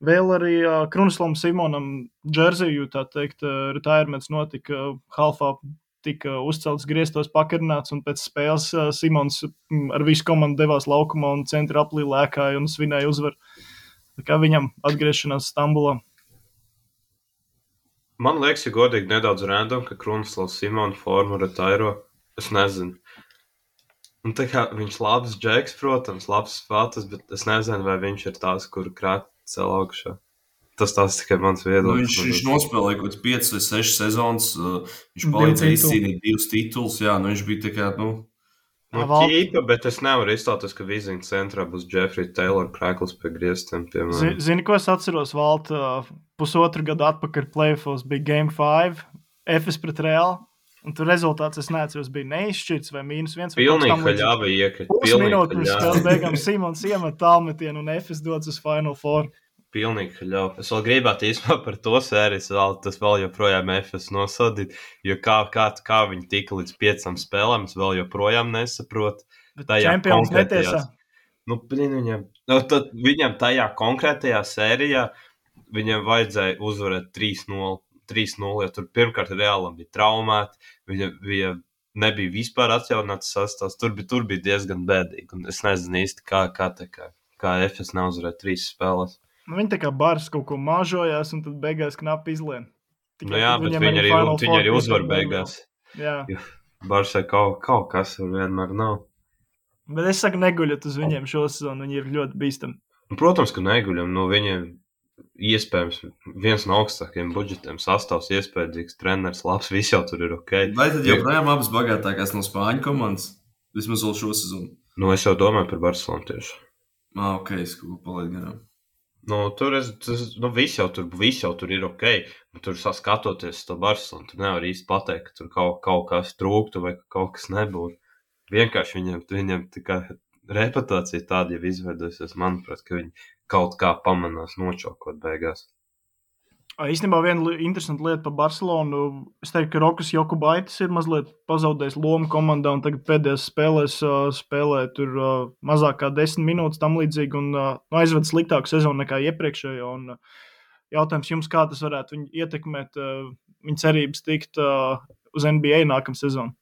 vēl arī Krunislam Simonam džerziju, tā teikt, retirements notika halfā, tika uzcelts griestos pakarināts, un pēc spēles Simons ar visu komandu devās laukumā un centra aplī lēkāja un svinēja uzvaru. Tā kā viņam atgriešanās Stambulā. Man liekas, ja godīgi nedaudz random, ka Krunislavs Simona formu retairo. Es nezinu. Un tā kā viņš labs džeks, protams, labs spēlētājs, bet es nezinu, vai viņš ir tās, kuru krāt cel augšā. Tas tikai mans viedoklis. Viņš nospēlēja kaut kāds 5 vai 6 sezonas. Viņš palīdzēja izcīnīt 2 titulus. Jā, viņš bija tā kā, ķīpa, bet es nevaru izstāties, ka Viziņas centrā būs Jeffrey Taylor krēklis pie griestiem. Zini, ko es atceros, Valt, pusotru gadu atpakaļ playoffs bija Game 5, Efes pret Real, un tur rezultāts, es neatceros, bija neizšķirts vai -1. Pilnīgi haļāva iekrita. Pusminūte pirms spēles beigām Simons iemet tālmetienu un Efes dodas uz Final Four. Pilnīgi haļāva. Es vēl gribētu īstenībā par to sēriju, tas vēl joprojām Efes nosodīt, jo kā viņi tika līdz 5 spēlēm, es vēl joprojām nesaprotu. Čempions netiesā. Viņam tajā konkrētajā sērijā viņam vajadzēja uzvarēt 3-0, jo tur pirmkārt Realam bija traumēti, viņa nebija vispār atjaunāts sastāvs, tur bija diezgan bēdīgi, un es nezinu īsti, kā Efes neuzvarēja 3 spēles. Viņi tā kā bars kaut ko mažojās, un tad beigās knapi izlien. Jā, bet viņi arī uzvar beigās. Jā. Barsai kaut kas vienmēr nav. Bet es saku, neguļat uz viņiem šo sezonu, viņi ir ļoti bīstami. Protams, ka neguļam. Viņiem iespējams viens no augstākajiem budžetiem sastāvs, iespējams, treneris, labs, viss jau tur ir ok. Vai tad joprojām abas bagātākās no Spāņu komandas? Vismaz vēl šo sezonu. Es jau domāju par Barcelonu tieši. Ok, es kaut ko palaidu garām. Viss jau tur ir ok. Tur skatoties to Barcelonu, tur nevar īsti pateikt, ka tur kaut kas trūktu vai kaut kas nebūtu. Vienkārši viņiem tikai reputācija tāda jau izveidojusies, manuprāt, ka viņi kaut kā pamanās nočokot beigās. Īstenībā viena interesanta lieta par Barcelonu. Es teiktu, ka Rokas Jokubaitis ir mazliet pazaudējis lomu komandā un tagad pēdējās spēlēs spēlē tur mazāk kā 10 minūtes tam līdzīgi un aizved sliktāku sezonu nekā iepriekšējo. Un jautājums jums, kā tas varētu viņu ietekmēt, viņa cerības tikt uz NBA nākamā sezonu?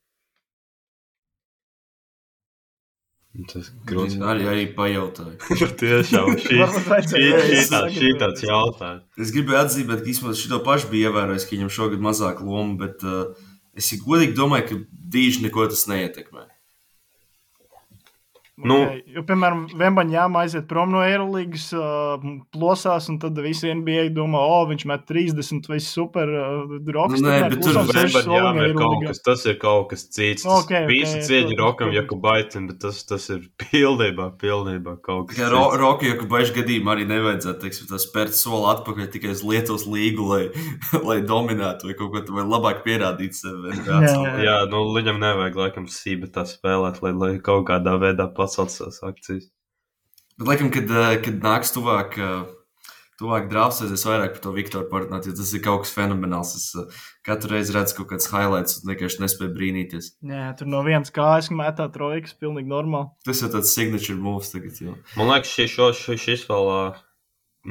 Tas grūti arī pajautāju. Tiešām šī tāds jautājums. Es gribēju atzīmēt, ka īstenībā šito pašu bija ievērojis, ka viņam šogad mazāk loma, bet es godīgi domāju, ka dīži neko tas neietekmē. Jo, piemēram, Vembaņāma aiziet prom no Eirolīgas, plosās, un tad visi NBA domā, viņš met 30, vai super, Rokas. Nē, bet tur Vembaņāma ir kaut kas, tas ir kaut kas cits. Visi cieņi Rokam Jokubaitim, bet tas ir pilnībā kaut kas cits. Roka Jokubaiša gadījumā arī nevajadzētu, teiksim, tā spērt soli atpakaļ tikai uz Lietuvas līgu, lai dominētu vai kaut ko, vai labāk pierādīt sevi. Jā, viņam nevajag laikam sībetā spēlēt, lai kaut kādā veidā pacelt savas akcijas. Bet, laikam, kad nāks tuvāk drafts, es vairāk par to Viktoru parunāt, jo tas ir kaut kas fenomenāls. Es katru reizi redzu kaut kāds highlights un vienkārši nespēju brīnīties. Jā, tur no vienas kājas mētā trojkas, pilnīgi normāli. Tas ir tāds signature moves tagad, jau. Man liekas, šis vēl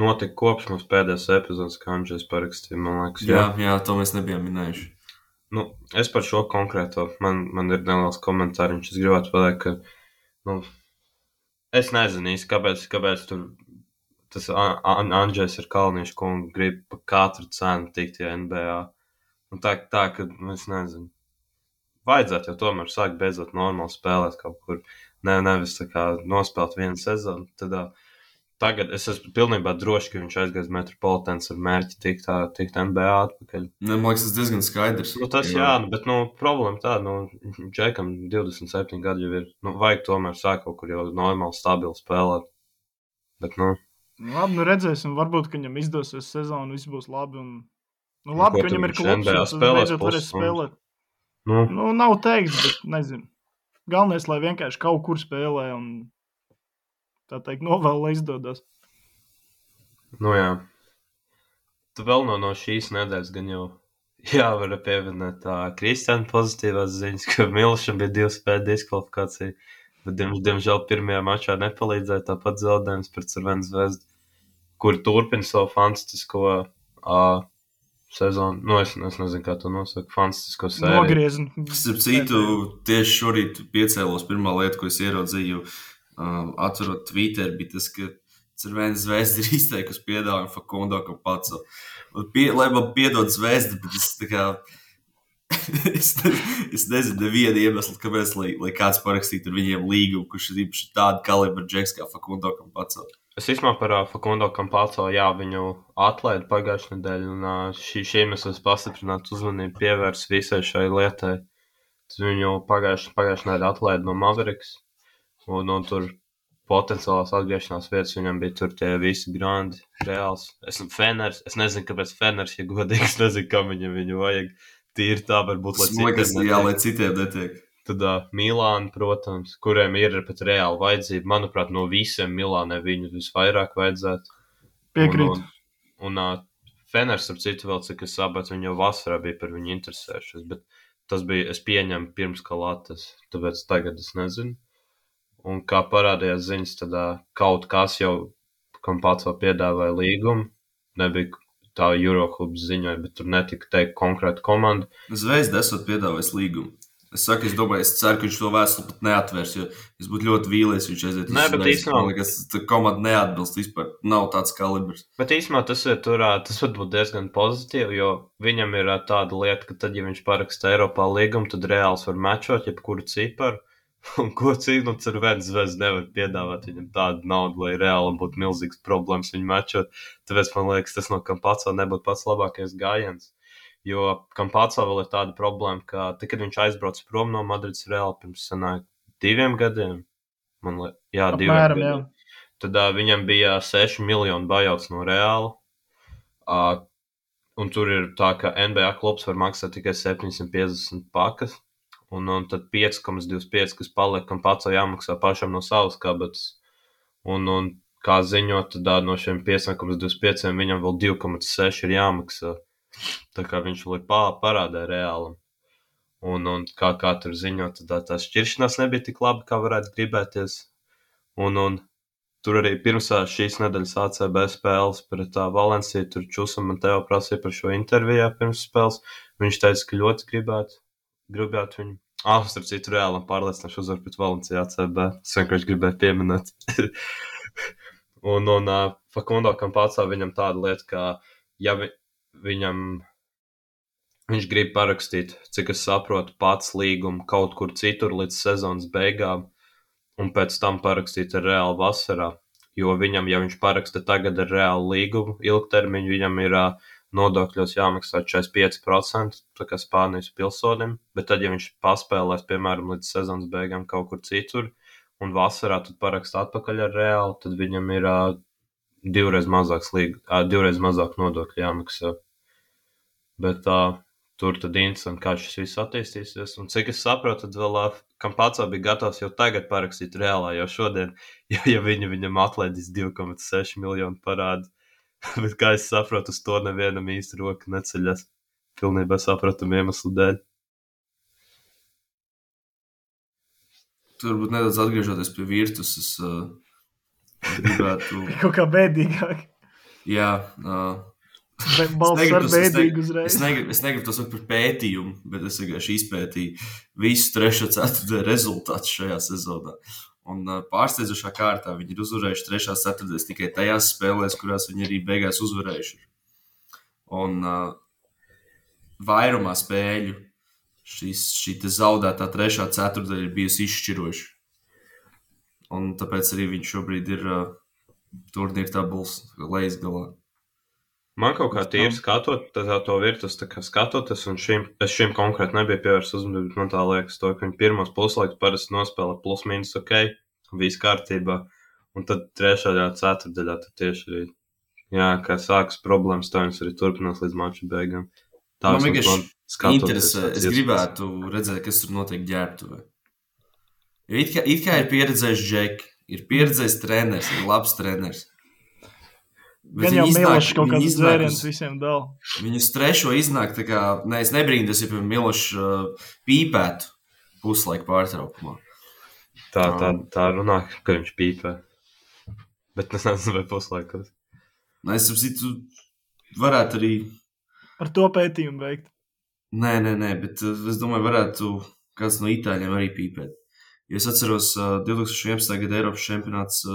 notika kopš mums pēdējās epizodes, kā Andžejs parakstīja, man liekas. Jā, to mēs nebijām minējuši. Es par šo konkrēto, man ir neliels komentāriņš, es gribētu pateikt, ka es nezinu īsti, kāpēc tur tas Andžejs ar Kalniņšu kungu grib pa katru cenu tikt NBA. Tā, ka es nezinu. Vajadzētu jau tomēr sākt beidzot normāli spēlēt kaut kur. Nevis tā kā nospēlēt vienu sezonu. Tagad es esmu pilnībā droši, ka viņš aizgājas Metropolitans ar mērķi tikt NBA atpakaļ. Man liekas, tas diezgan skaidrs. Bet problēma tāda, Džekam 27 gadi jau ir. Vajag tomēr sākt kaut kur jau normāli, stabili spēlēt. Bet, Labi, redzēsim. Varbūt, ka viņam izdosies sezonu, viss būs labi. Labi, ka viņam ir klubs, tas beidzot varēs spēlēt. Nav teikts, bet nezinu. Galvenais, lai vienkārši kaut kur spēlē un tā teikt, novēl, lai izdodas. Jā. Tu vēl no šīs nedēļas gan jau jāvar pievienot Kristiāna pozitīvās ziņas, ka Milšam bija 2 spēļu diskvalifikācija, bet diemžēl pirmajā mačā nepalīdzēja, tāpat zaudējums pret Crvenu Zvezdu, kur turpina savu fantastisko sezonu. Es nezinu, kā to nosaka, fantastisko sēriju. Nogriezni. Starp citu, tieši šorīt piecēlos pirmā lieta, ko es ieraudzīju, atverot Twitter, bija tas, ka Crvena Zvezda ir izteikusi piedāvājumu Facundo Campazzo. Lai man piedod Zvezda, bet es tā kā es nezinu nevienu iemeslu, kāpēc, lai kāds parakstītu ar viņiem līgumu, kurš ir īpaši tāda kalibra džeks kā Facundo Campazzo. Es īstenībā par Facundo Campazzo, viņu atlaida pagājušajā nedēļā, un šī iemesls pastiprināt uzmanību pievērs visai šai lietai. Tad viņu pagājušajā nedēļā atlaida no Mavericks, un tur potenciālās atgriešanās vietas viņam bija tur tie visi grandi, reāls. Feners, es nezinu, kāpēc Feners, ja godīgi, es nezinu, kam viņu vajag. Tīri tā varbūt, lai citiem netiek. Tad Milāna, protams, kuriem ir pat reāli vajadzība. Manuprāt, no visiem Milānai viņu visvairāk vajadzētu. Piekrīt. Un Feners, ar citu vēl, cik es sapratu, viņa jau vasarā bija par viņu interesējušies, bet tas bija, es pieņemu pirms Kalatas, tāpēc tagad es nezinu. Un kā parādījās ziņas, tad kaut kas jau Campazzo piedāvāja līgumu, nebija tā Euroklubs ziņoja, bet tur netika teikt konkrēta komanda. Zvezda esot piedāvājis līgumu. Es ceru, ka viņš to vēstuli pat neatvērs, jo es būtu ļoti vīlies, viņš aiziet uz Zvezdu. Man liekas, komanda neatbilst vispār, nav tāds kalibrs. Bet īstenībā tas var būt diezgan pozitīvi, jo viņam ir tāda lieta, ka tad, ja viņš paraksta Eiropā līgumu, tad reāls var mečot jebkuru ciparu. Un ko citu, ar vienu Zvezdu nevar piedāvāt viņam tādu naudu, lai reāli būtu milzīgs problēmas viņu mečot. Tāpēc man liekas, tas no Campazzo nebūtu pats labākais gājiens. Jo Campazzo vēl ir tāda problēma, ka kad viņš aizbrauc prom no Madrides Reāla pirms 2 gadiem, 2 gadiem, tad viņam bija 6 miljonu bajauts no Reāla. Un tur ir tā, ka NBA klubs var maksāt tikai 750 pakas. Un tad 5,25, kas paliek, Campazzo jāmaksā pašam no savas kabatas. Un kā ziņot, tad no šiem 5,25 viņam vēl 2,6 ir jāmaksā. Tā kā viņš vēl ir parādē Reālam. Un kā tur ziņot, tad tā šķiršanās nebija tik laba, kā varētu gribēties. Un tur arī pirms šīs nedēļas ACB spēles pret Valenciju, tur Čusam man tev prasīja par šo intervijā pirms spēles. Viņš teica, ka ļoti gribētu viņu. Starp citu Reālam pārliecināšu uzvar pret Valenciju ACB. Es vienkārši gribēju pieminēt. un Facundo Campazzo viņam tāda lieta, ka ja viņš grib parakstīt, cik es saprotu, pats līgumu kaut kur citur līdz sezonas beigām un pēc tam parakstīt ar Reālu vasarā, jo viņam, ja viņš paraksta tagad ar Reālu līgumu ilgtermiņu, viņam ir nodokļos jāmaksā 45%, tā kā Spānijas pilsonim, bet tad, ja viņš paspēlēs, piemēram, līdz sezonas beigām kaut kur citur un vasarā tad paraksta atpakaļ ar Reālu, tad viņam ir 2 reiz mazāk nodokļu jāmaksā. Bet tur tad interesanti, kā šis viss attīstīsies. Un cik es saprotu, tad vēl Campazzo bija gatavs jau tagad parakstīt Reālā, jau šodien, ja viņam atlaidīs 2,6 miljonu parādu. Bet kā es saprotu, uz to nevienam īsti roka neceļas. Pilnībā sapratam iemeslu dēļ. Tur varbūt nedaudz atgriežoties pie Virtus, es gribētu... Kaut kā bēdīgāk. Jā. Balsts ar bēdīgu uzreiz. Es negribu to saukt par pētījumu, bet es vienkārši izpētīju visu 3/4 rezultātu šajā sezonā. Un pārsteidzošā kārtā viņi ir uzvarējuši 3/4 tikai tajās spēlēs, kurās viņi arī beigās uzvarējuši. Un vairumā spēļu šī zaudētā 3/4 ir bijusi izšķiroša. Un tāpēc arī viņš šobrīd ir turnīra tabulas lejasgalā. Man kaut kā tīri skatot to Virtus, tā kā skatoties, un es šim konkrēti nebija pievērsts uzmanību, man tā liekas to, ka viņi pirmos puslaikus parasti nospēlē plus mīnus ok, viss kārtībā, un tad 3/4 tad tieši arī, kā sākas problēmas, tā viņas arī turpinās līdz maču beigām. Tā man vienkārši interesē, es gribētu redzēt, kas tur notiek ģērbtuvē. Jo it kā ir pieredzējis Džeki, ir pieredzējis treneris, ir labs treneris. Gan jau Milošs kaut kāds zvērienis visiem dala. Viņus trešo iznāk, tā kā, es nebrīndos, ja pie Milošs pīpētu puslaika pārtraukumā. Tā runā, ka viņš pīpē. Bet es nezinu, vai puslaikos. Es saprotu, varētu arī... Ar to pētījumu veikt. Nē, bet es domāju, varētu kāds no itāļiem arī pīpēt. Jo es atceros 2011. gada Eiropas čempionāts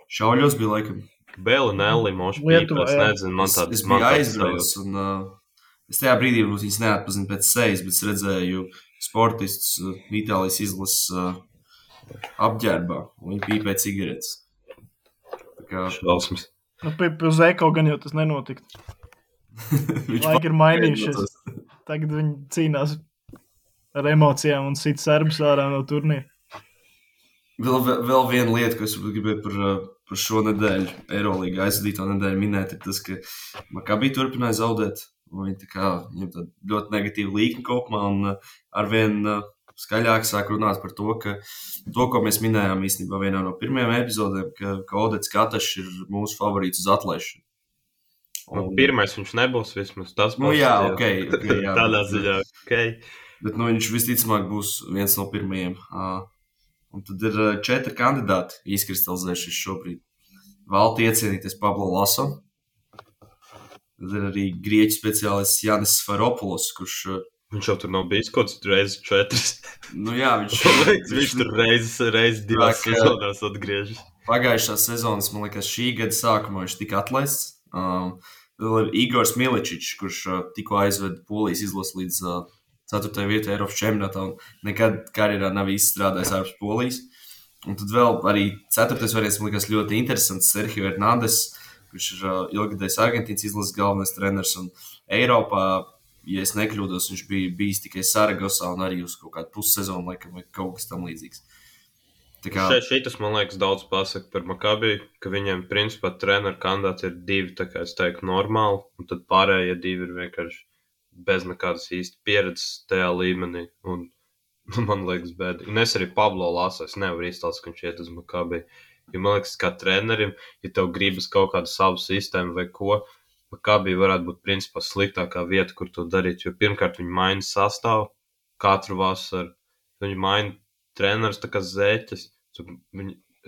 šauļos bija laikam. Belinelli moši pīpē, es nezinu, man tādas es biju aizbraucis un Es tajā brīdī varbūt viņas neatpazinu pēc sejas, bet es redzēju sportistus Itālijas izlases apģērbā, un viņi pīpē cigaretes. Tā kā Šausmas. Nu, pie Zeko gan jau tas nenotiktu. Laiki ir mainījušies. Tagad viņi cīnās ar emocijām un sit serbus ārā no turnīra. Vēl viena lieta, ko es gribēju par šo nedēļu, Eirolīgā aizvadīto nedēļu minēt, ir tas, ka Maccabi turpināja zaudēt. Viņam tāda ļoti negatīva līkne kopumā, un arvien skaļāk sāk runāt par to, ko mēs minējām īstenībā vienā no pirmajām epizodēm, ka Odets Katašs ir mūsu favorīts uz atlaišanu. Pirmais viņš nebūs vismaz tas. Jā, okay, jā. Tādā ziņā, Bet viņš visticamāk būs viens no pirmajiem. Un tad ir 4 kandidāti izkristalizējušies šobrīd. Valti iecienīties Pablo Laso. Tad ir arī grieķu speciālists Jānis Sfaropulos, kurš... Viņš jau tur nav bijis kaut kāds reizes 4. Nu jā, viņš tur reizes 2 sezonās atgriežas. Pagājušā sezonas, man liekas, šī gada sākumā viņš tika atlaists. Vēl ir Igors Miličičs, kurš tikko aizveda Polijas izlasi līdz 4. vietai Eiropas čempionātā un nekad karjerā nav izstrādājis ārpus Polijas. Un tad vēl arī 4. variants, man liekas, ļoti interesants Sergio Hernandez, kurš ir ilgadējs Argentīnas izlases galvenais treneris, un Eiropā, ja es nekļūdos, viņš bija bijis tikai Saragosā un arī uz kaut kādu pussezonu, laikam, vai kaut kas tam līdzīgs. Šitas, man liekas, daudz pasaka par Maccabi, ka viņiem, principā, treneru kandidāti ir 2, tā kā es teiktu, normāli, un tad pārējie 2 ir vienkārši bez nekādas īsti pieredzes tajā līmenī, un man liekas bēdi. Un es arī Pablo Laso, es nevaru izstāstīt, ka viņš iet uz Maccabi. Jo man liekas, kā trenerim, ja tev gribas kaut kādu savu sistēmu vai ko, Maccabi varētu būt principā sliktākā vieta, kur to darīt. Jo pirmkārt viņi maina sastāvu katru vasaru. Viņi maina trenerus tā kā zeķes.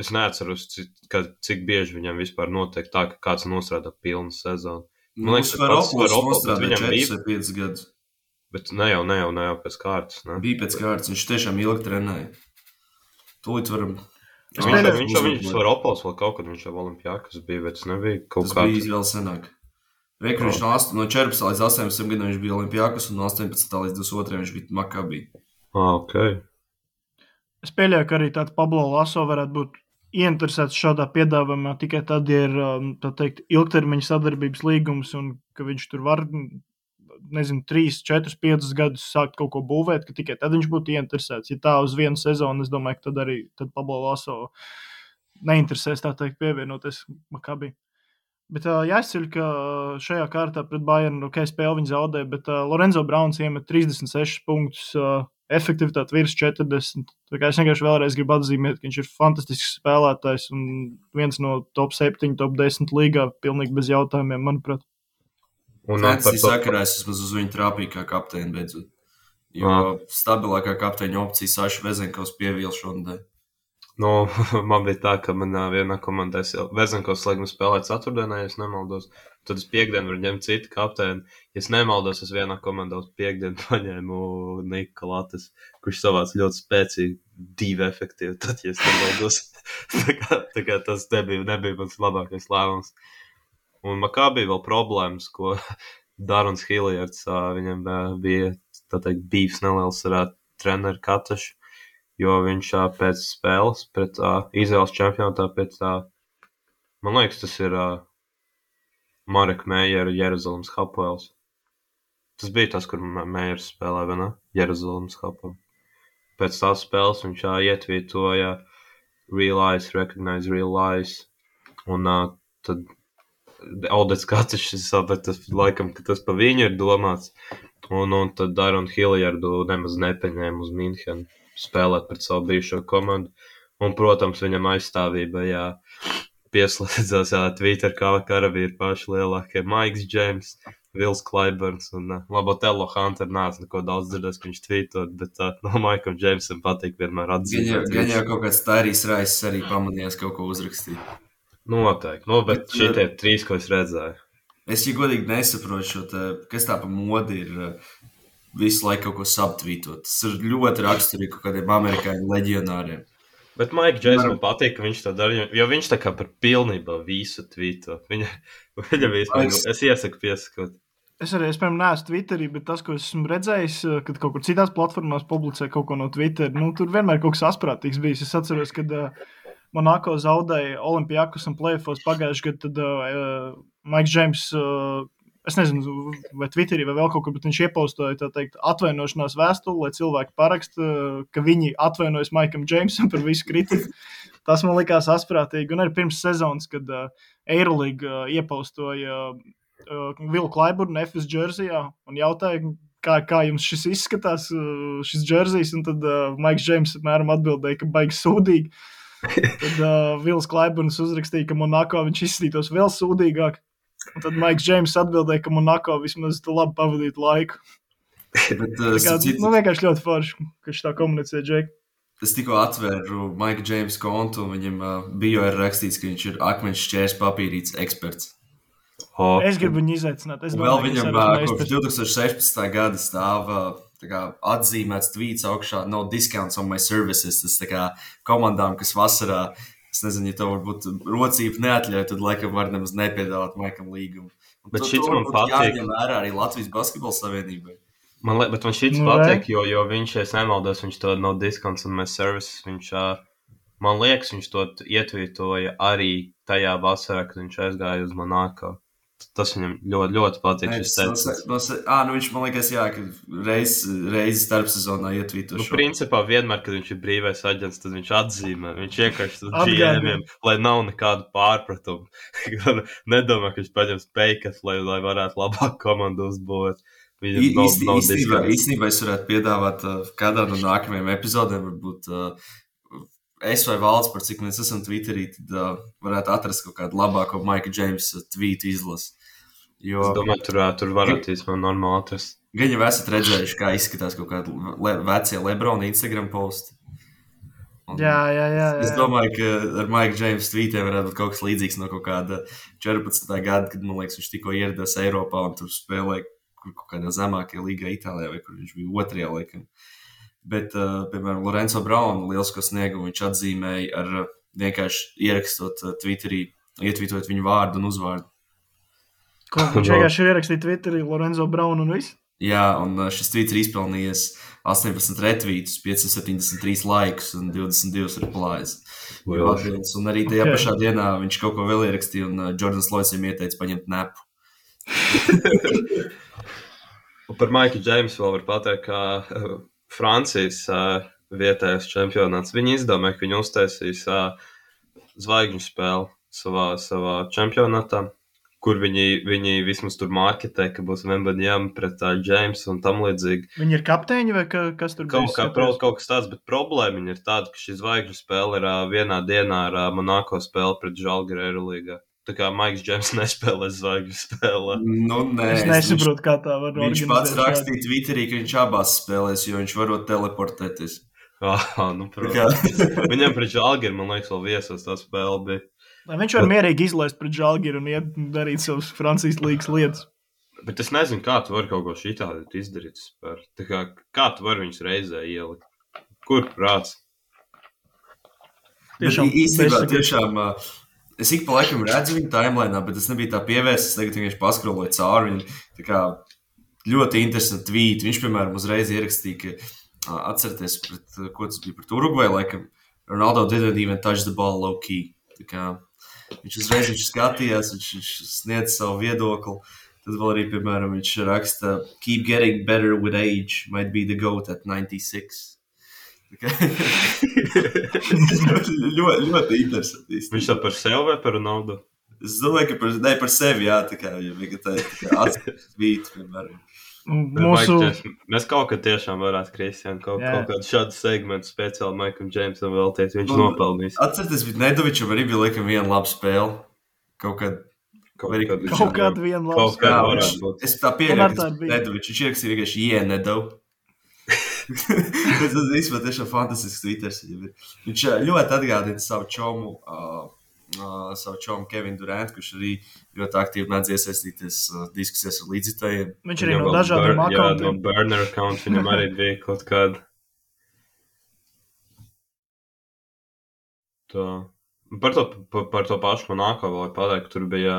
Es neatceros, cik bieži viņam vispār notiek tā, ka kāds nostrādā pilnu sezonu. Man liekas, ka pats nostrādā 4 vai 5 gadus. Bet ne jau pēc kārtas. Ne? Bija pēc kārtas, viņš tiešām ilgi trenēja. Tūlīt varam... Viņš var Opols vēl kaut kad viņš jau Olimpiākas bija, bet tas nebija kaut kāds. Tas bija vēl senāk. Reikru viņš no 14 līdz 18 gadiem viņš bija Olimpiākas un no 18 līdz 22 viņš bija Maccabi. Ok. Es pieļauju, ka arī tāds Pablo Laso varētu būt ieinteresēts šādā piedāvājumā tikai tad, ja ir, tā teikt, ilgtermiņa sadarbības līgums un ka viņš tur var, 3, 4, 5 gadus sākt kaut ko būvēt, ka tikai tad viņš būtu ieinteresēts. Ja tā uz vienu sezonu, es domāju, ka tad Pablo Laso neinteresēs, tā teikt, pievienoties Maccabi. Bet jāizceļ, ka šajā kārtā pret Bayernu, spēli viņi zaudē, bet Lorenzo Browns iemet 36 punktus, efektivitāte virs 40. Tā kā es vienkārši vēlreiz gribu atzīmēt, ka viņš ir fantastisks spēlētājs un viens no top 7, top 10 līgā, pilnīgi bez jautājumiem, manuprāt. Fantasy sakarā es vismaz uz viņu trāpīju kā kapteini beidzot. Jo stabilākā kapteiņa opcija Saša Vezenkovs pieviel šonadēļ. Man bija tā, ka manā vienā komandā Vezenkovs laikam spēlēt ceturtdienā, ja es nemaldos. Tad es piekdienu varu ņemt citu kapteini. Ja es nemaldos, es vienā komandā uz piekdienu paņēmu Niku Latas, kurš savāc ļoti spēcīgi 2 efektīvi, tad, ja es nemaldos. tā kā tas nebija mans labākais lēmums. Un Maccabi vēl problēmas, ko Darons Hilliards, viņam bija, tā teikt, bīvs neliels ar treneru Katašu, jo viņš pēc spēles, pret Izraels čempionātā, man liekas, tas ir Marek Meijera Jeruzalemes Hapoels. Tas bija tas, kur Meijers spēlē, vai ne? Jeruzalemes Hapoel. Pēc tās spēles viņš ietvītoja Realize, Recognize Realize, un tad Odets Katašs, es sapratu, laikam, ka tas pa viņu ir domāts, un tad Daronu Hilliardu nemaz nepaņēma uz Minhenu spēlēt pret savu bijušo komandu, un, protams, viņam aizstāvībā, pieslēdzās, Twitter karavīri paši lielākie, Maiks Džeims, Vils Klaiburns un Labotello Hunter nāca neko daudz dzirdēs, ka viņš tvītot, bet no Maikam Džeimsam patīk vienmēr atzīmēt. Gan jau kaut kāds Tārijas Raiss arī pamanījās kaut ko uzrakstīt. Noteikti, bet šitie 3, ko es redzēju. Es, ja godīgi nesaprotu šo te, kas tā pa modi ir visu laiku kaut ko subtvītot. Tas ir ļoti raksturīgi kaut kādiem amerikāņu leģionāriem. Bet Maika Džeims man patīk, ka viņš to dara, jo viņš tā kā par pilnībā visu tvīto. Viņam vispār, es iesaku piesakot. Es piemēram, neesmu Twitterī, bet tas, ko esmu redzējis, kad kaut kur citās platformās publicē kaut ko no Twitter, tur vienmēr kaut kas asprātīgs bijis. Es atceros, kad Monako zaudēja Olimpijakus un play-offos pagājušajā gadā, tad Maiks Džeims, es nezinu, vai Twitterī vai vēl kaut kur, bet viņš iepostoja, tā teikt, atvainošanās vēstuli, lai cilvēki paraksta, ka viņi atvainojas Maikam Džeimsam par visu kritiku. Tas man likās asprātīgi. Un arī pirms sezonas, kad Eirolyga iepostoja Vilu Klaiburnu FS džersijā un jautāja, kā jums šis izskatās, šis džersijs, un tad Maiks Džeims apmēram atbildēja, ka baigi sūdīgi. Tad Vils Klaiburns uzrakstīja, ka Monako viņš izskatītos vēl sūdīgāk. Un tad Maiks Džeims atbildēja, ka Monako vismaz labi pavadītu laiku. Bet, vienkārši ļoti forši, ka viņš tā komunicē, Džek. Es tikko atvēru Maika Džeimsa kontu, un viņam bio ir rakstīts, ka viņš ir akmeņš šķērs papīrīts eksperts. Es gribu viņu izaicināt. Vēl viņam kopš 2016. gada stāv atzīmēts tweets augšā no discounts on my services. Tas tā kā komandām, kas vasarā, es nezinu, ja tev varbūt rocība neatļauj, tad laikam var nemaz nepiedāvāt Maikam līgumu. Bet šis man patīk. Jāņem vērā arī Latvijas basketbola savienībai. Bet man šis patīk, jo viņš, ja es nemaldos, viņš to no discounts on my services, viņš, man liekas, viņš to ietvītoja arī tajā vasarā, kad viņš aizgāja uz Monako. Tas viņam ļoti, ļoti patīk. Viņš man liekas, jā, ka reizi starpsezonā ietvīto šo. Principā vienmēr, kad viņš ir brīvais aģents, tad viņš atzīmē. Viņš iekašs uz GM-iem, lai nav nekādu pārpratumu. Nedomā, ka viņš paņems peikas, lai varētu labāk komandu uzbūvēt. Īstenībā es varētu piedāvāt kādā no nākamajiem epizodēm, varbūt es vai Valds, par cik mēs esam Twitterī, tad varētu atrast kaut kādu labāko Maika Džeimsa tweetu izlasi. Es domāju, tur varētu īstenībā normāli atrast. Gan jau esat redzējuši, kā izskatās kaut kādi vecie Lebrona Instagram posti. Jā. Es domāju, ka ar Maika Džeimsa tweetiem varētu būt kaut kas līdzīgs no kaut kāda 14. gada, kad, man liekas, viņš tikko ieradās Eiropā un tur spēlēja kaut kādā zemākajā līgā Itālijā, vai kur viņš bija otrajā laikam. Bet, piemēram, Lorenzo Braunu lielisko sniegumu viņš atzīmēja ar vienkārši ierakstot Twitterī, ietvītojot viņu vārdu un uzvārdu. Ko viņš vienkārši ierakstīja Twitterī Lorenzo Braunu un viss? Jā, un šis tweets ir izpelnījies 18 retvītus, 573 laikus un 22 replies. Un arī tajā pašā dienā viņš kaut ko vēl ierakstīja, un Jordans Lloyds viņam ieteica paņemt nepu. Par Maiku Džeimsu vēl var pateikt, ka Francijas vietējais čempionāts. Viņi izdomāja, ka viņi uztaisīs zvaigžņu spēli savā čempionātā, kur viņi vismaz tur marketē, ka būs Wembanyama pret Džeimsu un tam līdzīgi. Viņi ir kapteiņi vai kas tur kaut kas tāds, bet problēma ir tāda, ka šī zvaigžņu spēle ir vienā dienā ar Monako spēli pret Žalgiris Eirolīgā. Tā kā Maiks Džeims nespēlē zvaigžņu spēlē. Es nesaprotu, kā tā var organizēt. Viņš pats rakstīja Twitterī, ka viņš abās spēlēs, jo viņš varot teleportēties. Protams. Viņam pret Žalgiri, man liekas, vēl viesos tā spēle bija. Viņš var mierīgi izlaist pret Žalgiri un iet darīt savus Francijas līgas lietas. Bet es nezinu, kā tu vari kaut ko šitādi izdarīt. Tā kā tu vari viņus reizē ielikt? Kur prāts? Tiešām... Es ik pa laikam redzu viņu timelainā, bet es nebiju tā pievērsts. Es tagad vienkārši paskroloju cauri viņu. Tā kā ļoti interesanti tweet. Viņš, piemēram, uzreiz ierakstīja, ka atcerieties, ko tas bija pret Urugvaju, laikam Ronaldo didn't even touch the ball low key. Tā kā viņš uzreiz skatījās, viņš sniedz savu viedokli. Tad vēl arī, piemēram, viņš raksta keep getting better with age, might be the GOAT at 96. ļoti interesanti. Viņš tā par sevi vai par Ronaldu? Es domāju, ka par sevi, jā, tā kā atskatīt vītu, piemēram. Mēs kaut kad tiešām varētu, Kristian, kaut kādu šādu segmentu speciāli Maikam Džeimsam veltīt, viņš nopelnīs. Atcerieties, bet Nedovičam arī bija laikam viena laba spēle. Kaut kāda viena laba spēle. Es tā pieļauju, ka Nedovičs, viņš ierakstīja vienkārši Nedo. Tas īstenībā tiešām fantastisks Twitters. Viņš ļoti atgādina savu čomu Kevinu Durantu, kurš arī ļoti aktīvi mēdz iesaistīties diskusijās ar līdzjutējiem. Viņš arī no dažādiem akauntiem. Jā, no burner account viņam arī bija kaut kāda. Par to pašu Monako vēl pateikt, ka tur bija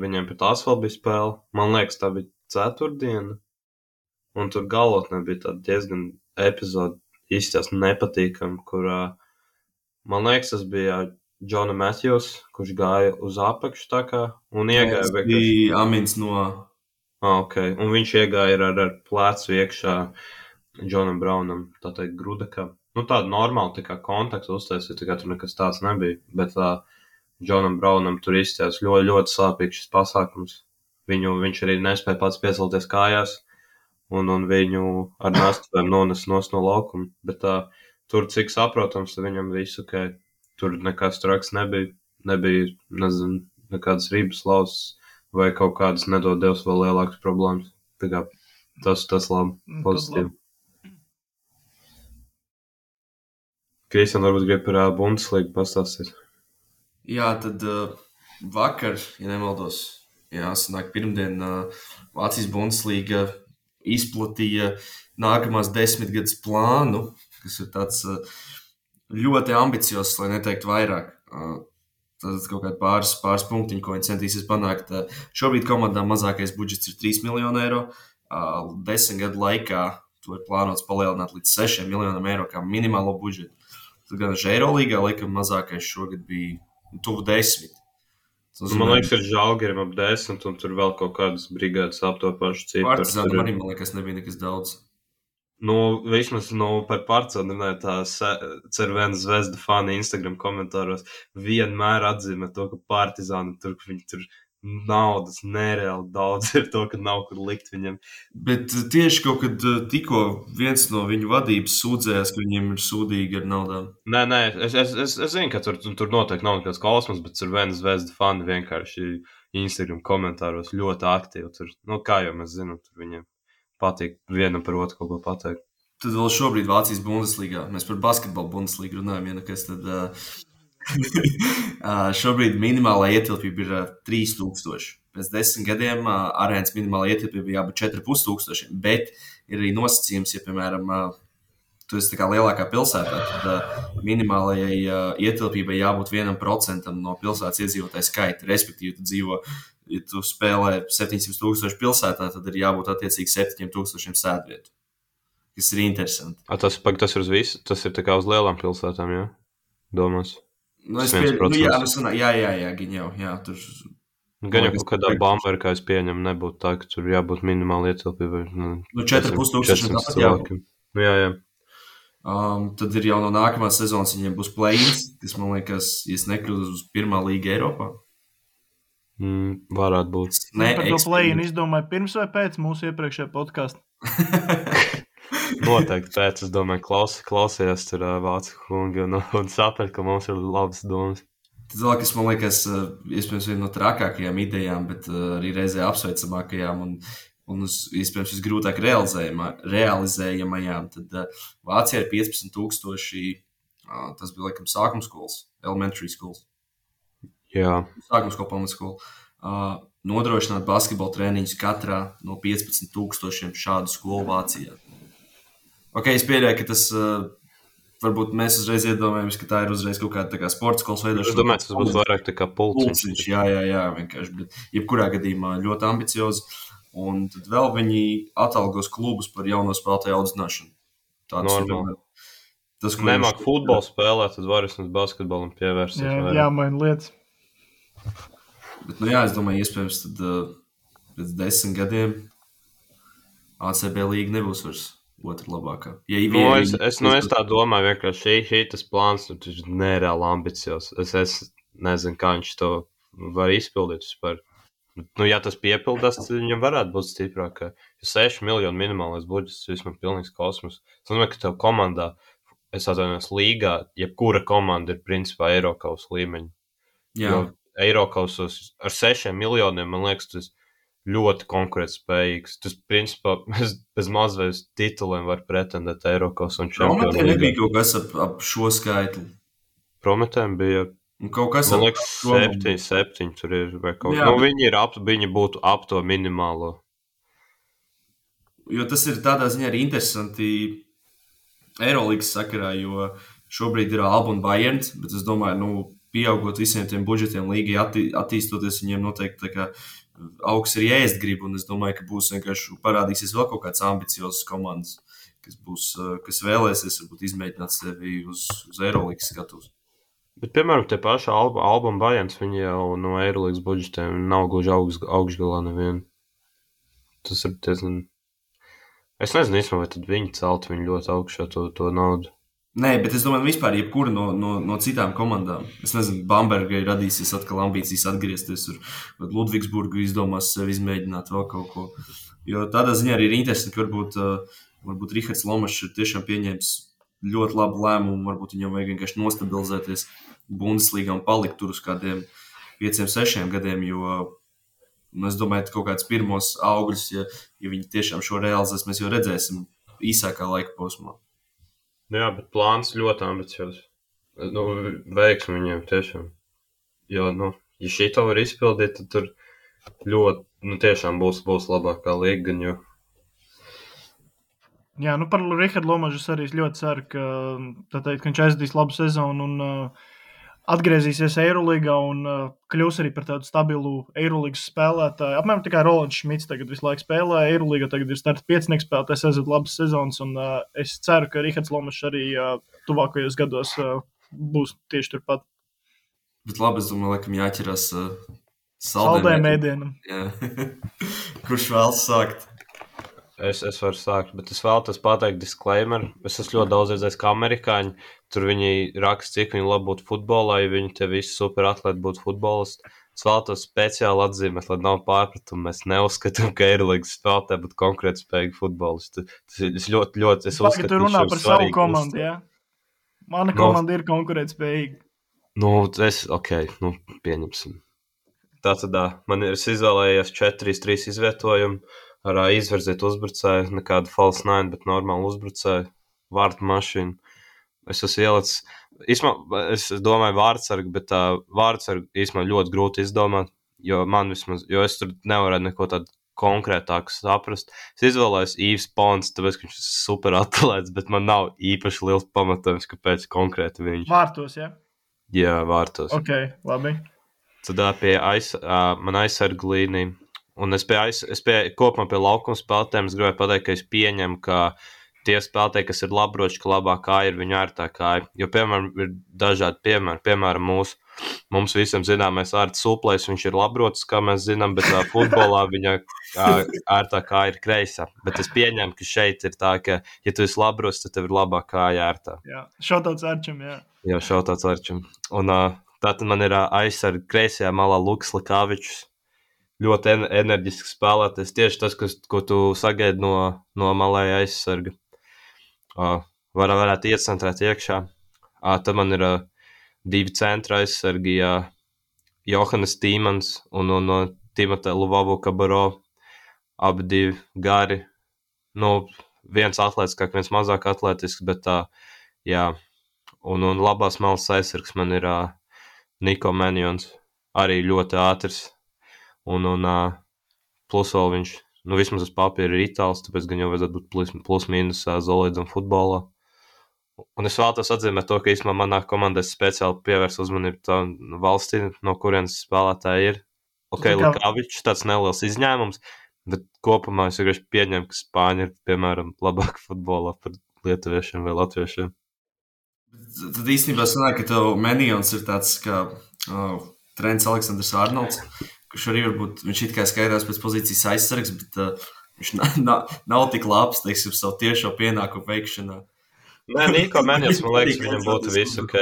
viņiem pēc tās vēl bija spēle. Man liekas, tā bija ceturtdiena, un tur galotnē bija tāda diezgan epizode, izskatās nepatīkami, kur, man liekas, tas bija Džona Matthews, kurš gāja uz apakšu tā kā, un iegāja Tas vienkārši. bija Amins no... Okay. Un viņš iegāja ar plecu iekšā Džonam Brownam, tā teikt, grudakā. Nu, tāda normāla tā kā kontakta uztaisīja, tā kā tur nekas tāds nebija, bet Džonam Brownam tur izskatās ļoti, ļoti sāpīgs šis pasākums. Viņš arī nespēja pats piecelties kājās, un viņu ar nastuvēm nones no laukuma. Bet tur, cik saprotams, viņam viss ok. Tur nekas traks nebija, nezinu, nekādas rības lausas vai kaut kādas nedod Dievs vēl lielākas problēmas. Tā kā tas labi, pozitīvi. Kristian, varbūt grib par Bundeslīgu pastāstīt. Jā, tad vakar, ja nemaldos, sanāk pirmdien Vācijas Bundeslīga izplatīja nākamās 10 gadus plānu, kas ir tāds ļoti ambiciozs, lai neteiktu vairāk. Tad kaut kādi pāris punktiņi, ko viņi centīsies panākt. Šobrīd komandā mazākais budžets ir 3 miljoni eiro. 10 gadu laikā to ir plānots palielināt līdz 6 miljoniem eiro kā minimālo budžetu. Tad gan Eirolīgā laikam mazākais šogad bija tuvu 10. Man liekas, ir Žalgirim ap 10, un tur vēl kaut kādas brigādes ap to pašu ciparu. Partizānam arī, man liekas, nebija nekas daudz. Vismaz par Partizānu runāju, tā Cervena zvezda fani Instagram komentāros vienmēr atzīmē to, ka Partizāni tur, viņi tur naudas nereāli daudz ir to, ka nav kur likt viņam. Bet tieši kaut kad tikko viens no viņu vadības sūdzējās, ka viņiem ir sūdīgi ar naudām. Nē, es zinu, ka tur noteikti nav nekāds kosmos, bet Cervena zvezda fani vienkārši Instagram komentāros ļoti aktīvi. Tur, kā jau mēs zinām, tur viņiem patīk vienam par otru kaut ko pateikt. Tad vēl šobrīd Vācijas Bundeslīgā. Mēs par basketbalu Bundeslīgu runājam, ja nekas tad... šobrīd minimālā ietilpība ir 3000. Pēc 10 gadiem arēnas minimālā ietilpība jābūt 4500, bet ir arī nosacījums, ja, piemēram, tu esi tā kā lielākā pilsētā, tad minimālajai ietilpībai jābūt 1% no pilsētas iedzīvotāju skaita. Respektīvi, tu dzīvo, ja tu spēlē 700,000 pilsētā, tad ir jābūt attiecīgi 7,000 sēdvietu, kas ir interesanti. Tas ir uz visu, tas ir tā kā uz lielām pilsētām, jā? Domās. Jā, gan jau, tur... Gan jau kaut kādā Bambergā, kā es pieņemu, nebūtu tā, ka tur jābūt minimāli ietilpībai. 4,500 tāpat jābūt. Jā. Tad ir jau no nākamās sezonas viņiem būs play-ins, kas, man liekas, ja nekļūst uz pirmā līga Eiropā. Varētu būt. Par to play-in izdomāju pirms vai pēc mūsu iepriekšējā podkāsta? Noteikti pēc, es domāju, klausījās tur vācu kungi un sapratu, ka mums ir labas domas. Tas vēl, kas man liekas, iespējams, viena no trakākajām idejām, bet arī reizē apsveicamākajām un iespējams, visgrūtāk realizējamajām, tad Vācijā ir 15,000, tas bija, laikam, sākumskolas, elementary schools. Jā. Sākumskola, pamatskola. Nodrošināt basketbola treniņus katrā no 15,000 šādu skolu Vācijā. Ok, es pieļauju, ka tas, varbūt mēs uzreiz iedomājamies, ka tā ir uzreiz kaut kāda tā kā sporta skolas veidošana. Es domāju, tas būs vairāk tā kā pulciņš. Jā, vienkārši, bet jebkurā gadījumā ļoti ambiciozi. Un tad vēl viņi atalgos klubus par jauno spēlētāju audzināšanu. Normāli. Nemāk futbolu spēlēt, tad var vismaz basketbolam pievērsties. Jā, maina lietas. Bet, es domāju, iespējams, tad pēc 10 gadiem ACB līga nebūs vairs otra labākā. Es tā domāju, vienkārši šī tas plāns, tas ir nereāli ambiciozs. Es nezinu, kā viņš to var izpildīt vispār. Ja tas piepildās, tad viņam varētu būt stiprāk. 6 miljonu minimālais budžets, vismaz pilnīgs kosmos. Es domāju, ka tev komandā, es atvainojos līgā, jebkura komanda ir principā Eirokaus līmeņa. Jā. Jo Eirokausos ar 6 miljoniem, man liekas, tas ļoti konkurētspējīgs. Tas, principā, bez mazvēs tituliem var pretendēt Eirokaus un čempionu līgā. Prometēm nebija kaut kas ap šo skaitli. Prometēm bija, kaut kas man liekas, 7 tur ir vai kaut kā. Viņi būtu ap to minimālo. Jo tas ir tādā ziņā arī interesanti Eirolīgas sakarā, jo šobrīd ir Alba un Bayerns, bet es domāju, pieaugot visiem tiem budžetiem, līgai attīstoties, viņiem noteikti tā kā augs ir ēst grib, un es domāju, ka būs vienkārši parādīsies vēl kaut kāds ambiciozs komandas, kas vēlēsies varbūt izmēģināt sevi uz Eirolandes skatuves. Bet, piemēram, tie paši Alba un Bajans, viņi jau no Eirolandes budžetiem nav gluži augšgalā nevienu. Tas ir diezgan... Es nezinu, īstenībā, vai tad viņi celtu viņu ļoti augšā to naudu. Nē, bet es domāju, vispār jebkura no citām komandām. Es nezinu, Bambergai radīsies atkal ambīcijas atgriezties, vai Ludvigsburgu izdomās sevi izmēģināt vēl kaut ko. Jo tādā ziņā arī ir interesanti, ka varbūt Rihards Lomašs ir tiešām pieņēmis ļoti labu lēmumu, varbūt viņam vajag vienkārši nostabilizēties Bundeslīgā un palikt tur uz kādiem 5-6 gadiem, jo es domāju, ka kaut kāds pirmos augļus, ja viņi tiešām šo realizēs, mēs jau redzēsim īsākā laika posmā. Jā, bet plāns ļoti ambiciozs. Veiksmi viņiem tiešām. Jo, ja šito var izpildīt, tad tur ļoti, tiešām būs labākā līga, jo... Jā, par Rihardu Lomažu es arī ļoti ceru, ka viņš aizdīs labu sezonu un atgriezīsies Eiroligā un kļūs arī par tādu stabilu Eiroligas spēlētāju. Apmēram tikai Rolands Šmits tagad visu laiku spēlē. Eiroligā tagad ir starta 5 spēlētājs, aiziet labas sezonas, un es ceru, ka Rihards Lomažs arī tuvākajos gados būs tieši turpat. Bet labi, es domāju, laikam jāķerās saldējiem ēdienam. Kurš vēlas sākt? Es varu sākt, bet es vēlos pateikt disclaimer. Es esmu ļoti daudz redzējis, kā amerikāņi. Tur viņi raksta, cik viņi labi būtu futbolā, ja viņi te visi super atlēti būtu futbolisti. Es vēlos speciāli atzīmēt, lai nav pārpratumu. Mēs neuzskatām, ka Eirolandes spēlētāji būtu konkrēti spējīgi futbolisti. Es ļoti uzskatu, tu runā par savu komandu, jā? Mana komanda ir konkurētspējīga. Pieņemsim. Tātad es izvēlējos 4-3 izvietojumu. Ar izvirzīt uzbrucēju, nekādu false nine, bet normālu uzbrucēju, vārtu mašīnu. Es esmu ielicis, es domāju vārdsargu, bet vārdsargu īstenībā ļoti grūti izdomāt, jo es tur nevarētu neko tādu konkrētāku saprast. Es izvēlējos Īvs Pons, tāpēc, ka viņš ir super atlēts, bet man nav īpaši liels pamatojums, kāpēc konkrēti viņš. Vārtos, ja? Jā, vārtos. Ok, labi. Tad pie man aizsargu līnija. Un es kopumā pie laukuma spēlētājiem es gribēju pateikt, ka es pieņemu, ka tie spēlētāji, kas ir labroči, ka labā kāja ir viņu ērtā kāja. Jo, piemēram, ir dažādi piemēri. Piemēram, mums visiem zināmais Ārts Suplējs, viņš ir labrots, kā mēs zinām, bet futbolā viņa ērtā kāja ir kreisā. Bet es pieņemu, ka šeit ir tā, ka, ja tu esi labrots, tad tev ir labā kāja ērtā. Jā, šautauts Arčam, jā. Jā, šautauts Arčam. Un tātad man ir aizsarga kreisajā malā Lukas Likāvičs. Ļoti enerģisks spēlētājs. Tieši tas, ko tu sagaidi no malēja aizsarga. Varētu iecentrēt iekšā. Tad man ir 2 centra aizsargi, Johannes Tīmans un Timotē Luvavu Kabaro. Abi 2 gari. Viens atlētiskāk, viens mazāk atletisks, bet jā. Un labās malas aizsargs man ir Niko Menjons. Arī ļoti ātrs. Un plus vēl viņš, vismaz uz papīra ir itāls, tāpēc gan jau vajadzētu būt plus mīnus zolīdam futbolā. Un es vēlos atzīmēt to, ka īstenībā manā komandē speciāli pievērs uzmanību tā valstī, no kurienes spēlētāji ir. Likāvičs, tāds neliels izņēmums, bet kopumā es vienkārši pieņemu, ka Spāņi ir, piemēram, labāki futbolā par lietuviešiem vai latviešiem. Tad īstenībā sanāk, ka tev Menjons ir tāds kā Trents Aleksandrs Arnolds, kurš arī varbūt, viņš it kā skaidrās pēc pozīcijas aizsargs, bet viņš nav tik labs, teiksim, savu tiešo pienākumu veikšanā. Nē, Niko Menjons, man liekas, viņam būtu viss ok,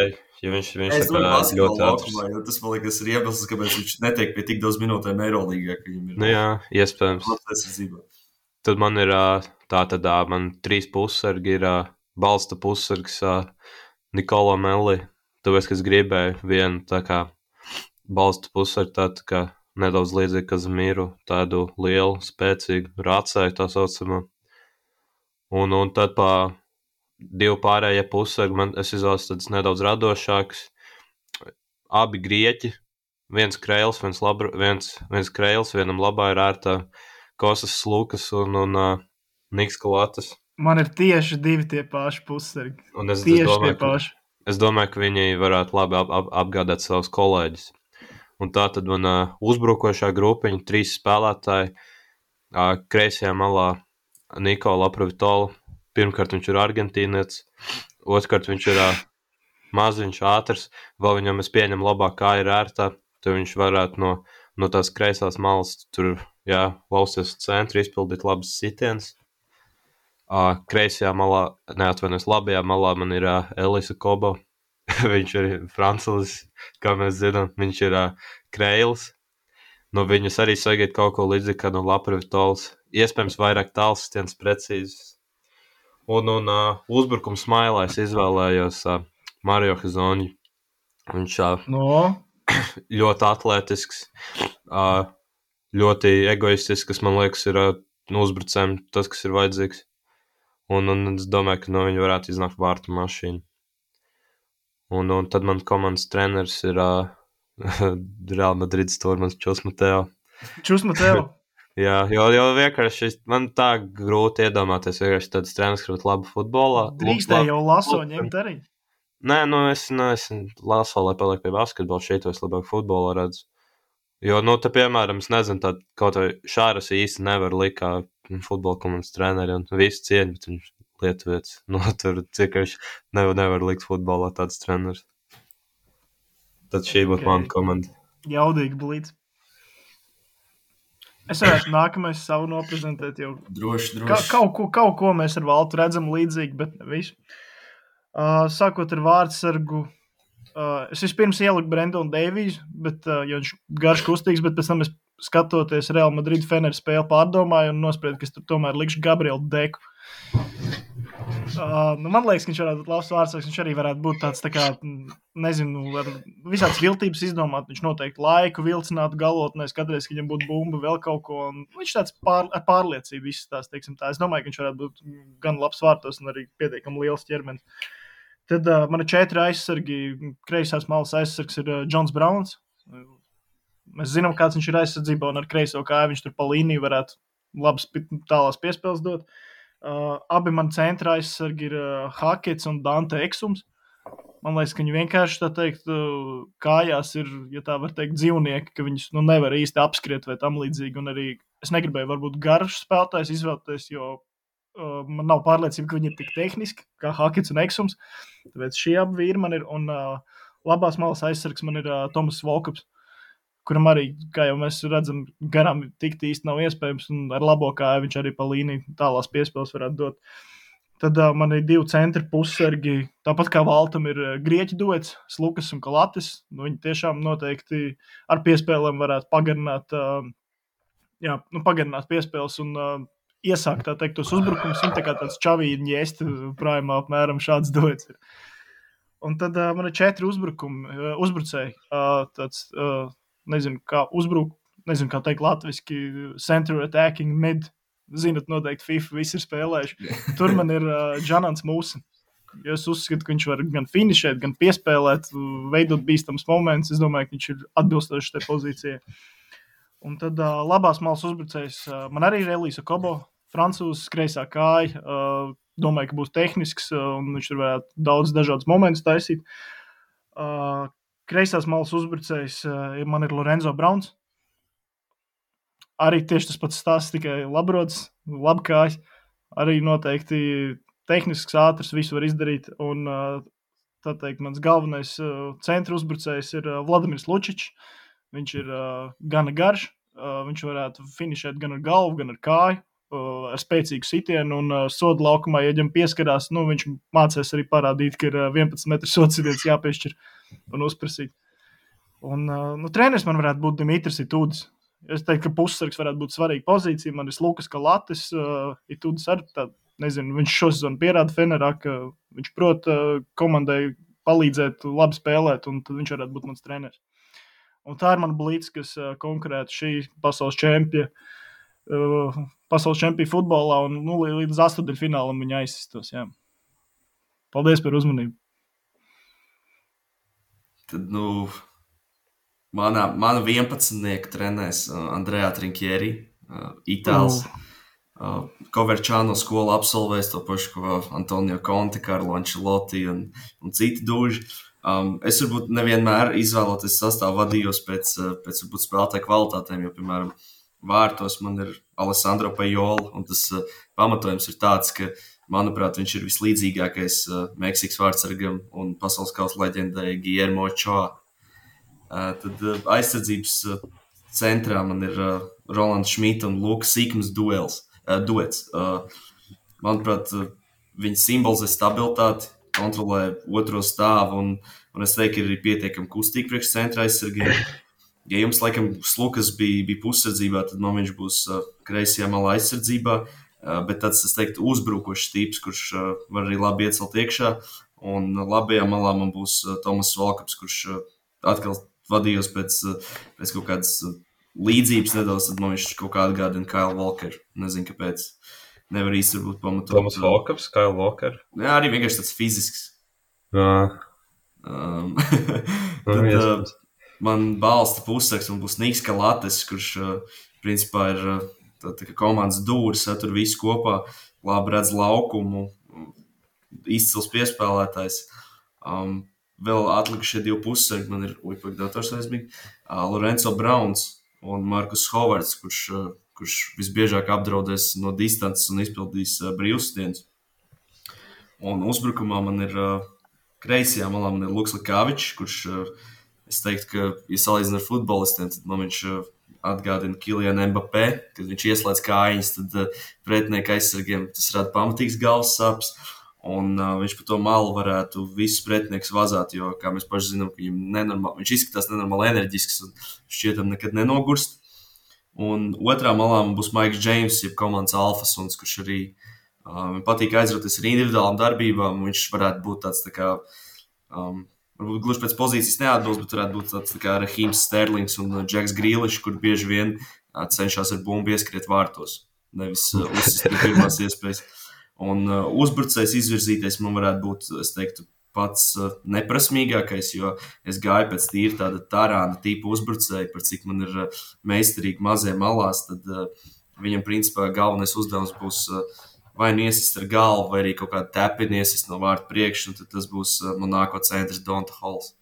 ja viņš tā kā ļoti ātrs. Tas, man liekas, ir iemesls, kāpēc viņš netiek pie tik daudz minūtēm Eiroligā, ka viņam ir. Jā, iespējams. Tad man ir man 3 pussargi ir balsta pussargs Nikola Melli, tāpēc, ka es gribēju vienu tā kā balsta pussargi tā kā nedaudz līdzīgi Kazimīru, tādu lielu, spēcīgu rācēju tā saucamā. Un tad 2 pārējie pussargi, es izvēlos tāds nedaudz radošāks. Abi grieķi, viens Kreils, viens Kreils, vienam labā ir ērtā Kostas Lukas un Niks Kalatas. Man ir tieši 2 tie paši pussargi. Un es tieši domāju, tie paši. es domāju, ka viņi varētu labi apgādāt savus kolēģus. Un tā tad man uzbrukošā grupiņa, 3 spēlētāji, kreisajā malā Nikola Aprovitola. Pirmkārt, viņš ir argentīnietis, otrkārt, viņš ir maziņš, ātrs, vēl viņam es pieņemu labāk, kā ir ērtā, tad viņš varētu no tās kreisās malas tur, lausties centru, izpildīt labas sitienas. Kreisajā malā, neatvainojos, labajā malā man ir Elisa Kobo. Viņš ir franculis, kā mēs zinām, viņš ir Kreils. No viņas arī sagaid kaut ko līdzīgi kā no Laprovitolas. Iespējams, vairāk tālsistienas precīzes. Un uzbrukums mailā es izvēlējos Mario Hezonju. Viņš ļoti atletisks, ļoti egoistisks, kas man liekas ir uzbrucējiem tas, kas ir vajadzīgs. Un es domāju, ka no viņa varētu iznākt vārtu mašīna. Un tad man komandas treneris ir Real Madrid stūrmans Čusmateo. Čusmateo? Jā, jo vienkārši man tā grūti iedomāties vienkārši tāds treneris, kurš labi futbolā. Drīkstēja jau Laso ņemt arī? Nē, es Laso, lai paliek pie basketbola, šeit es labāk futbolā redzu. Jo, te, piemēram, es nezinu, tā kaut vai Šāras īsti nevar likt kā futbola komandas treneri un visu cieņu, bet viņš lietuvietis. Tur cik viņš nevar likt futbolā tāds treneris. Tad šī būtu mana komanda. Jaudīgi blīds. Es varētu nākamais savu noprezentēt jau. Droši. Kaut ko mēs ar Valtu redzam līdzīgi, bet ne visu. Sākot ar vārdsargu, es vispirms ieliku Brendonu Deiviju, jo viņš garš kustīgs, bet pēc tam es skatoties Real Madrid Fener spēli pārdomāju un nospriedu, ka es tur tomēr likšu Gabrielu Deku. Man liekas, ka viņš varētu būt labs vārdsargs, viņš arī varētu būt tāds, tā kā, nezinu, ar visādas viltības izdomāt, viņš noteikti laiku vilcinātu galotnēs, katreiz, ka viņam būtu bumba, vēl kaut ko, un viņš tāds ar pārliecību izstās, teiksim tā. Es domāju, ka viņš varētu būt gan labs vārtos un arī pietiekami liels ķermenis. Tad man ir 4 aizsargi, kreisās malas aizsargs ir Džons Brauns. Mēs zinām, kāds viņš ir aizsardzībā, un ar kreiso kāju viņš tur pa līniju varētu labas tālās piespēles dot. Abi man centra aizsargi ir Hakets un Dante Eksums. Man liekas, ka viņi vienkārši, tā teikt, kājās ir, ja tā var teikt, dzīvnieki, ka viņus nevar īsti apskriet vai tam līdzīgi. Un arī es negribēju varbūt garš spēlētājs izvēlēties, jo man nav pārliecība, ka viņi ir tik tehniski, kā Hakets un Eksums. Tāpēc šie abi vīri man ir, un labās malas aizsargs man ir Tomas Volkups, kuram arī, kā jau mēs redzam, garām tikt īsti nav iespējams, un ar labo kāju viņš arī pa līniju tālās piespēles varētu dot. Tad man ir 2 centri pussargi, tāpat kā Valtam ir grieķu duets, Slukas un Kalatis. Viņi tiešām noteikti ar piespēlēm varētu pagarināt piespēles un iesākt, tā teikt, tos uzbrukums. Viņi tā kā tāds Čavīņi ēsti prājumā apmēram šāds duets ir. Un tad man ir 4 uzbrucēji, tāds... Nezinu, kā teikt latviski, center attacking mid. Zinat, noteikti FIFA visi ir spēlējuši. Tur man ir Džanans Mūsen. Ja es uzskatu, ka viņš var gan finišēt, gan piespēlēt, veidot bīstams moments. Es domāju, ka viņš ir atbilstoši tai pozīcijai. Un tad labās malas uzbrucējs man arī ir Elisa Kobo, francūzs, kreisā kāja. Domāju, ka būs tehnisks, un viņš tur varētu daudz dažādus momentus taisīt. Kreisās malas uzbrucējs man ir Lorenzo Brauns. Arī tieši tas pats stāsts, tikai labrods, labkājs. Arī noteikti tehnisks, ātrs, visu var izdarīt. Un, tā teikt, mans galvenais centra uzbrucējs ir Vladimirs Lučičs. Viņš ir gana garš. Viņš varētu finišēt gan ar galvu, gan ar kāju. Ar spēcīgu sitienu un sodu laukumā, ja viņam pieskarās, viņš mācēs arī parādīt, ka ir 11 metru sods sitiens jāpiešķir un uzprasīt. Un treneris man varētu būt Dimitris Itudis. Es teiktu, ka pussargs varētu būt svarīga pozīcija. Man ir Lukas Kalatis, Itudis arī nezinu, viņš šo sezonu pierāda Fenerā, ka viņš prot komandai palīdzēt labi spēlēt, un tad viņš varētu būt mans treneris. Un tā ir man blīds, kas konkurētu šī pasaules čempija futbolā, un līdz 8. finālam viņa aizsistos. Jā. Paldies par uzmanību. Tad, mana 11. trenēs Andrea Trinkieri, Itāls. Coverciano skolu absolvējis, to pašu, ko Antonio Conte, Carlo Ancelotti un citi duži. Es varbūt nevienmēr izvēloties sastāvu vadījos pēc varbūt spēlētāju kvalitātēm, jo, piemēram, vārtos man ir Alessandro Pajola, un tas pamatojums ir tāds, ka, manuprāt, viņš ir vislīdzīgākais Meksikas vārtsargam un pasaules kausa leģendai Guillermo Ochoa. Tad aizsardzības centrā man ir Rolands Šmita un Lukas Sīkums duets. Manuprāt, viņi simbolizē stabilitāti, kontrolē otro stāvu, un es teiktu, ka ir pietiekami kustīgi priekš centra aizsargiem. Ja jums, laikam, Slukas bija pussardzībā, tad man viņš būs kreisajā malā aizsardzībā, bet tāds, es teiktu, uzbrukošs tips, kurš var arī labi iecelt iekšā, un labajā malā man būs Tomas Valkaps, kurš atkal vadījos pēc kaut kādas līdzības nedaudz, tad man viņš kaut kā atgādina Kyle Walker. Nezinu, kāpēc. Nevar īsti varbūt pamatot. Tomas Valkaps, Kyle Walker? Jā, arī vienkārši tāds fizisks. Tad man balsta pussargs, man būs Niks Kalates, kurš principā ir tā kā komandas dūris, satur visu kopā, labi redz laukumu, izcils piespēlētājs. Vēl atlikušie 2 pussargi, man ir dators aizmīgi, Lorenzo Browns un Markus Hovards, kurš visbiežāk apdraudēs no distances un izpildīs brīvstienas. Un uzbrukumā man ir kreisajā malā man ir Luks Likāvičs, kurš, es teiktu, ka, ja salīdzina ar futbolistiem, tad man viņš atgādina Kylianu Mbappé, kad viņš ieslēdz kājiņas, tad pretinieka aizsargiem tas rada pamatīgs galvas sāpes. Un viņš pa to malu varētu visus pretinieks vazāt, jo, kā mēs paši zinām, ka viņš izskatās nenormāli enerģisks un šķietam nekad nenogurst. Un otrā malā man būs Maiks Džeims, jeb komandas alfasuns, kurš arī patīk aizrauties ar individuālām darbībām. Viņš varētu būt tāds tā kā, varbūt gluži pēc pozīcijas neatbilst, bet varētu būt tāds tā kā Raheems Sterlings un Džeks Grīlišs, kur bieži vien cenšas ar bumbu ieskriet vārtos, nevis uzsist pie pirmās iespējas. Un uzbrucējs izvirzīties man varētu būt, es teiktu, pats neprasmīgākais, jo es gāju pēc tīri tāda Tarāna tipa uzbrucēja, par cik man ir meistarīgi mazie malās, tad viņam principā galvenais uzdevums būs vai nu iesist ar galvu, vai arī kaut kādu tepini iesist no vārta priekš, un tad tas būs Monako centrs Donta Halls,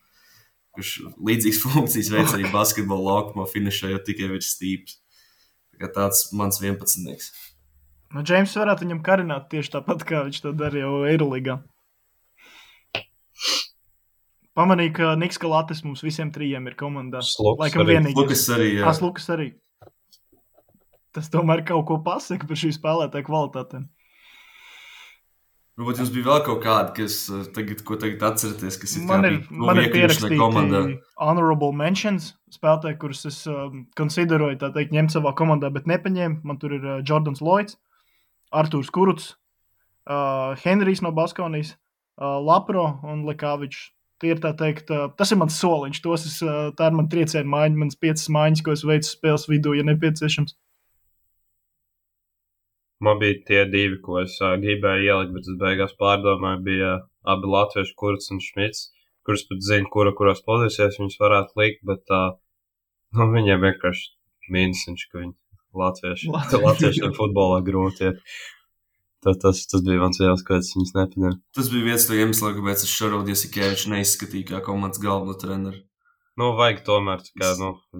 kurš līdzīgas funkcijas veic arī basketbola laukumā finišējot tikai virs stīpas. Tāds mans 11. Nu, Džeims varētu viņam karināt tieši tāpat, kā viņš to dara jau Eirolīgā. Pamanīju, ka Niks Kalates mums visiem 3 ir komandā. Laikam vienīgais. Lukas arī, jā. Lukas arī. Tas tomēr kaut ko pasaka par šī spēlētāja kvalitātēm. Varbūt jums bija vēl kaut kādi, ko tagad atceraties, kas ir man ir pierakstīti honorable mentions spēlētāji, kurus es konsideroju, tā teikt, ņemt savā komandā, bet nepaņēmu. Man tur ir Jordans Lloyds, Artūrs Kuruts, Henrijs no Baskonijas, Lapro un Likāvičs. Tie ir, tā teikt, tas ir mans soliņš. Tā ir man trieciena maiņa, mans 5 maiņas, ko es veicu spēles vidū, ja nepieciešams. Man bija tie 2, ko es gribēju ielikt, bet es beigās pārdomāju, bija abi latvieši Kurts un Šmits, kurus pat zinu, kurās pozīcijās viņus varētu likt, bet viņiem vienkārši mīnusiņš, ka viņi latviešiem futbolā grūti iet. Tas bija mans vielas, kāds viņus nepaņēma. Tas bija viens no iemesla, kāpēc es Šaraudu Jasikeviču neizskatīju kā komandas galveno treneru. Vajag tomēr,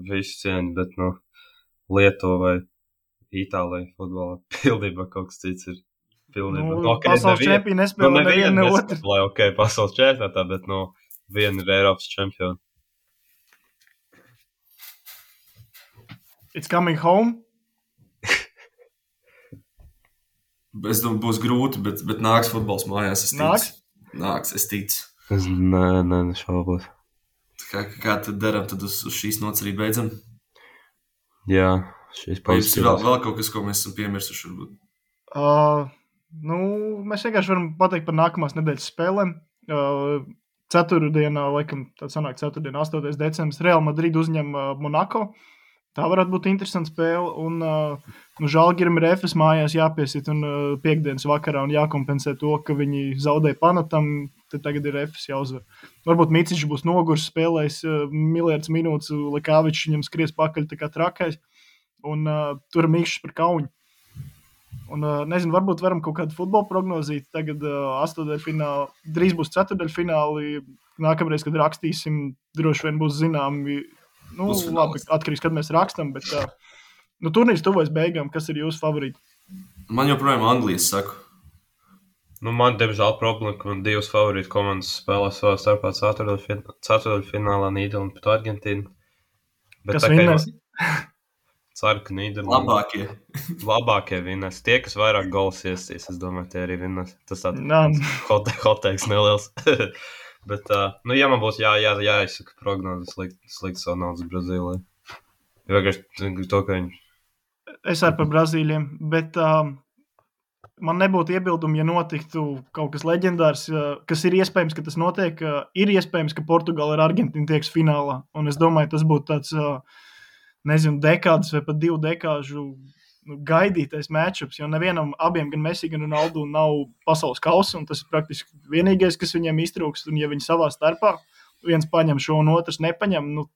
visu cieņu, bet, Lietuva vai Itālija futbolā pildībā kaut kas cits ir pildībā. Pasaules čempioni nespēlē nevienu ne otru. Pasaules čempionātā, bet, viena ir Eiropas čempioni. It's coming home. Es domāju, būs grūti, bet nāks futbols mājās, es ticu. Nāks, es ticu. Es nešaubos. Kā tad daram, tad uz šīs nots arī beidzam? Jā, šīs pauzes. Vēl kaut kas, ko mēs esam piemirsuši, varbūt? Mēs vienkārši varam pateikt par nākamās nedēļas spēlēm. Ceturtdienā, laikam, tā sanāk 8. decembris, Real Madrid uzņem Monako. Tā varētu būt interesanta spēle, un Žalgirim ir Efes mājās jāpiesit, un piekdienas vakarā un jākompensē to, ka viņi zaudēja Panatam, tad tagad ir Efes jāuzvar. Varbūt Micičs būs nogurs, spēlējis miljards minūtes, Likāvičs viņam skries pakaļ tā kā trakais, un tur mīkšs par kauņu. Un, nezinu, varbūt varam kaut kādu futbolu prognozīt. Tagad astoņdaļfināli, drīz būs ceturdaļfināli. Nākamreiz, kad rakstīsim, droši vien būs zināmi. Nu, labi, atkarīgs, kad mēs rakstam, bet turnīrs tuvojas beigām. Kas ir jūsu favorīti? Man joprojām Anglijas saku. Nu, man, diemžēl, problēma, ka man divas favorītas komandas spēlē savā starpā ceturdaļfinālā Nīderlanda pret Argentīnu. Bet kas vinnēs? Ceru, ka Nīderlanda labākie vinnēs. Tie, kas vairāk gols iestīs, es domāju, tie arī vinnēs. Tas tāds hoteiks neliels. Bet, ja man būs jāizsaka prognozes, slikt savu naudas Brazīlijai. Vienkārši to, ka viņi... Es arī par Brazīļiem, bet... Man nebūtu iebildumi, ja notiktu kaut kas leģendārs, kas ir iespējams, ka tas notiek. Ir iespējams, ka Portugāla ar Argentīnu tieks finālā. Un es domāju, tas būtu tāds, nezinu, dekādas vai pat 2 dekāžu gaidītais matchups. Jo nevienam abiem, gan Messi, gan Ronaldu, nav pasaules kausa. Un tas ir praktiski vienīgais, kas viņiem iztrūkst. Un ja viņi savā starpā viens paņem šo un otrs nepaņem, nu,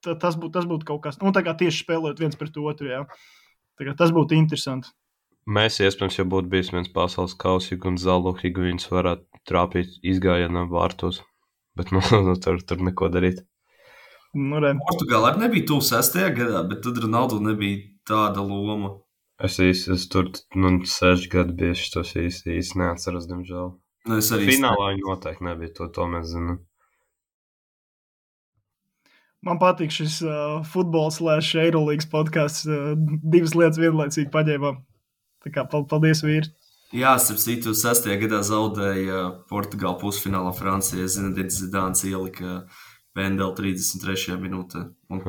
tas būtu kaut kas. Nu, tā kā tieši spēlēt viens pret otru, jā. Tā kā tas būtu interesanti. Mēs, iespējams, ja būtu bijis viens pasaules kausi, un Zalo Higuins varētu trāpīt izgājienam vārtos. Bet tur neko darīt. Portugāla arī nebija tuvu 6. gadā, bet tad Ronaldo nebija tāda loma. Es tur 6 gadu biju, tos īsti neatceros, diemžēl. Finālā viņi noteikti nebija, to mēs zinām. Man patīk šis futbols / Eirolīgas podcasts. 2 lietas vienlaicīgi paņēmām. Tā kā paldies, vīri. Jā, starp citu, 6. gadā zaudēja Portugāla pusfinālā Francija. Zinedine Zidāns ielika Pendeli 33. minūtē. Un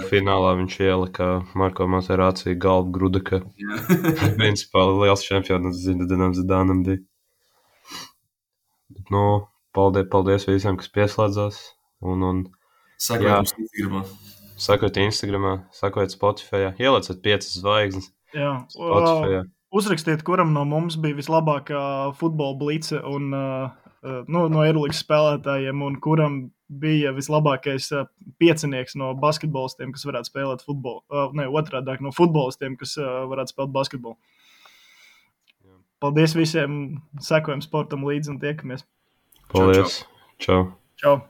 finālā viņš ielika Marko Materāciju galvu Grudeka. Principā liels čempions Zinedinam Zidānam bija. Bet, paldies visiem, kas pieslēdzās. Sakojiet Instagramā, sakojiet Spotify, ielieciet 5 zvaigznes. Jā, uzrakstiet, kuram no mums bija vislabākā futbola blice un no Eirolīgas spēlētājiem, un kuram bija vislabākais piecinieks no basketbolistiem, kas varētu spēlēt futbolu. Otrādāk, no futbolistiem, kas varētu spēlēt basketbolu. Paldies visiem, sekojam sportam līdzi un tiekamies. Paldies. Čau. Čau.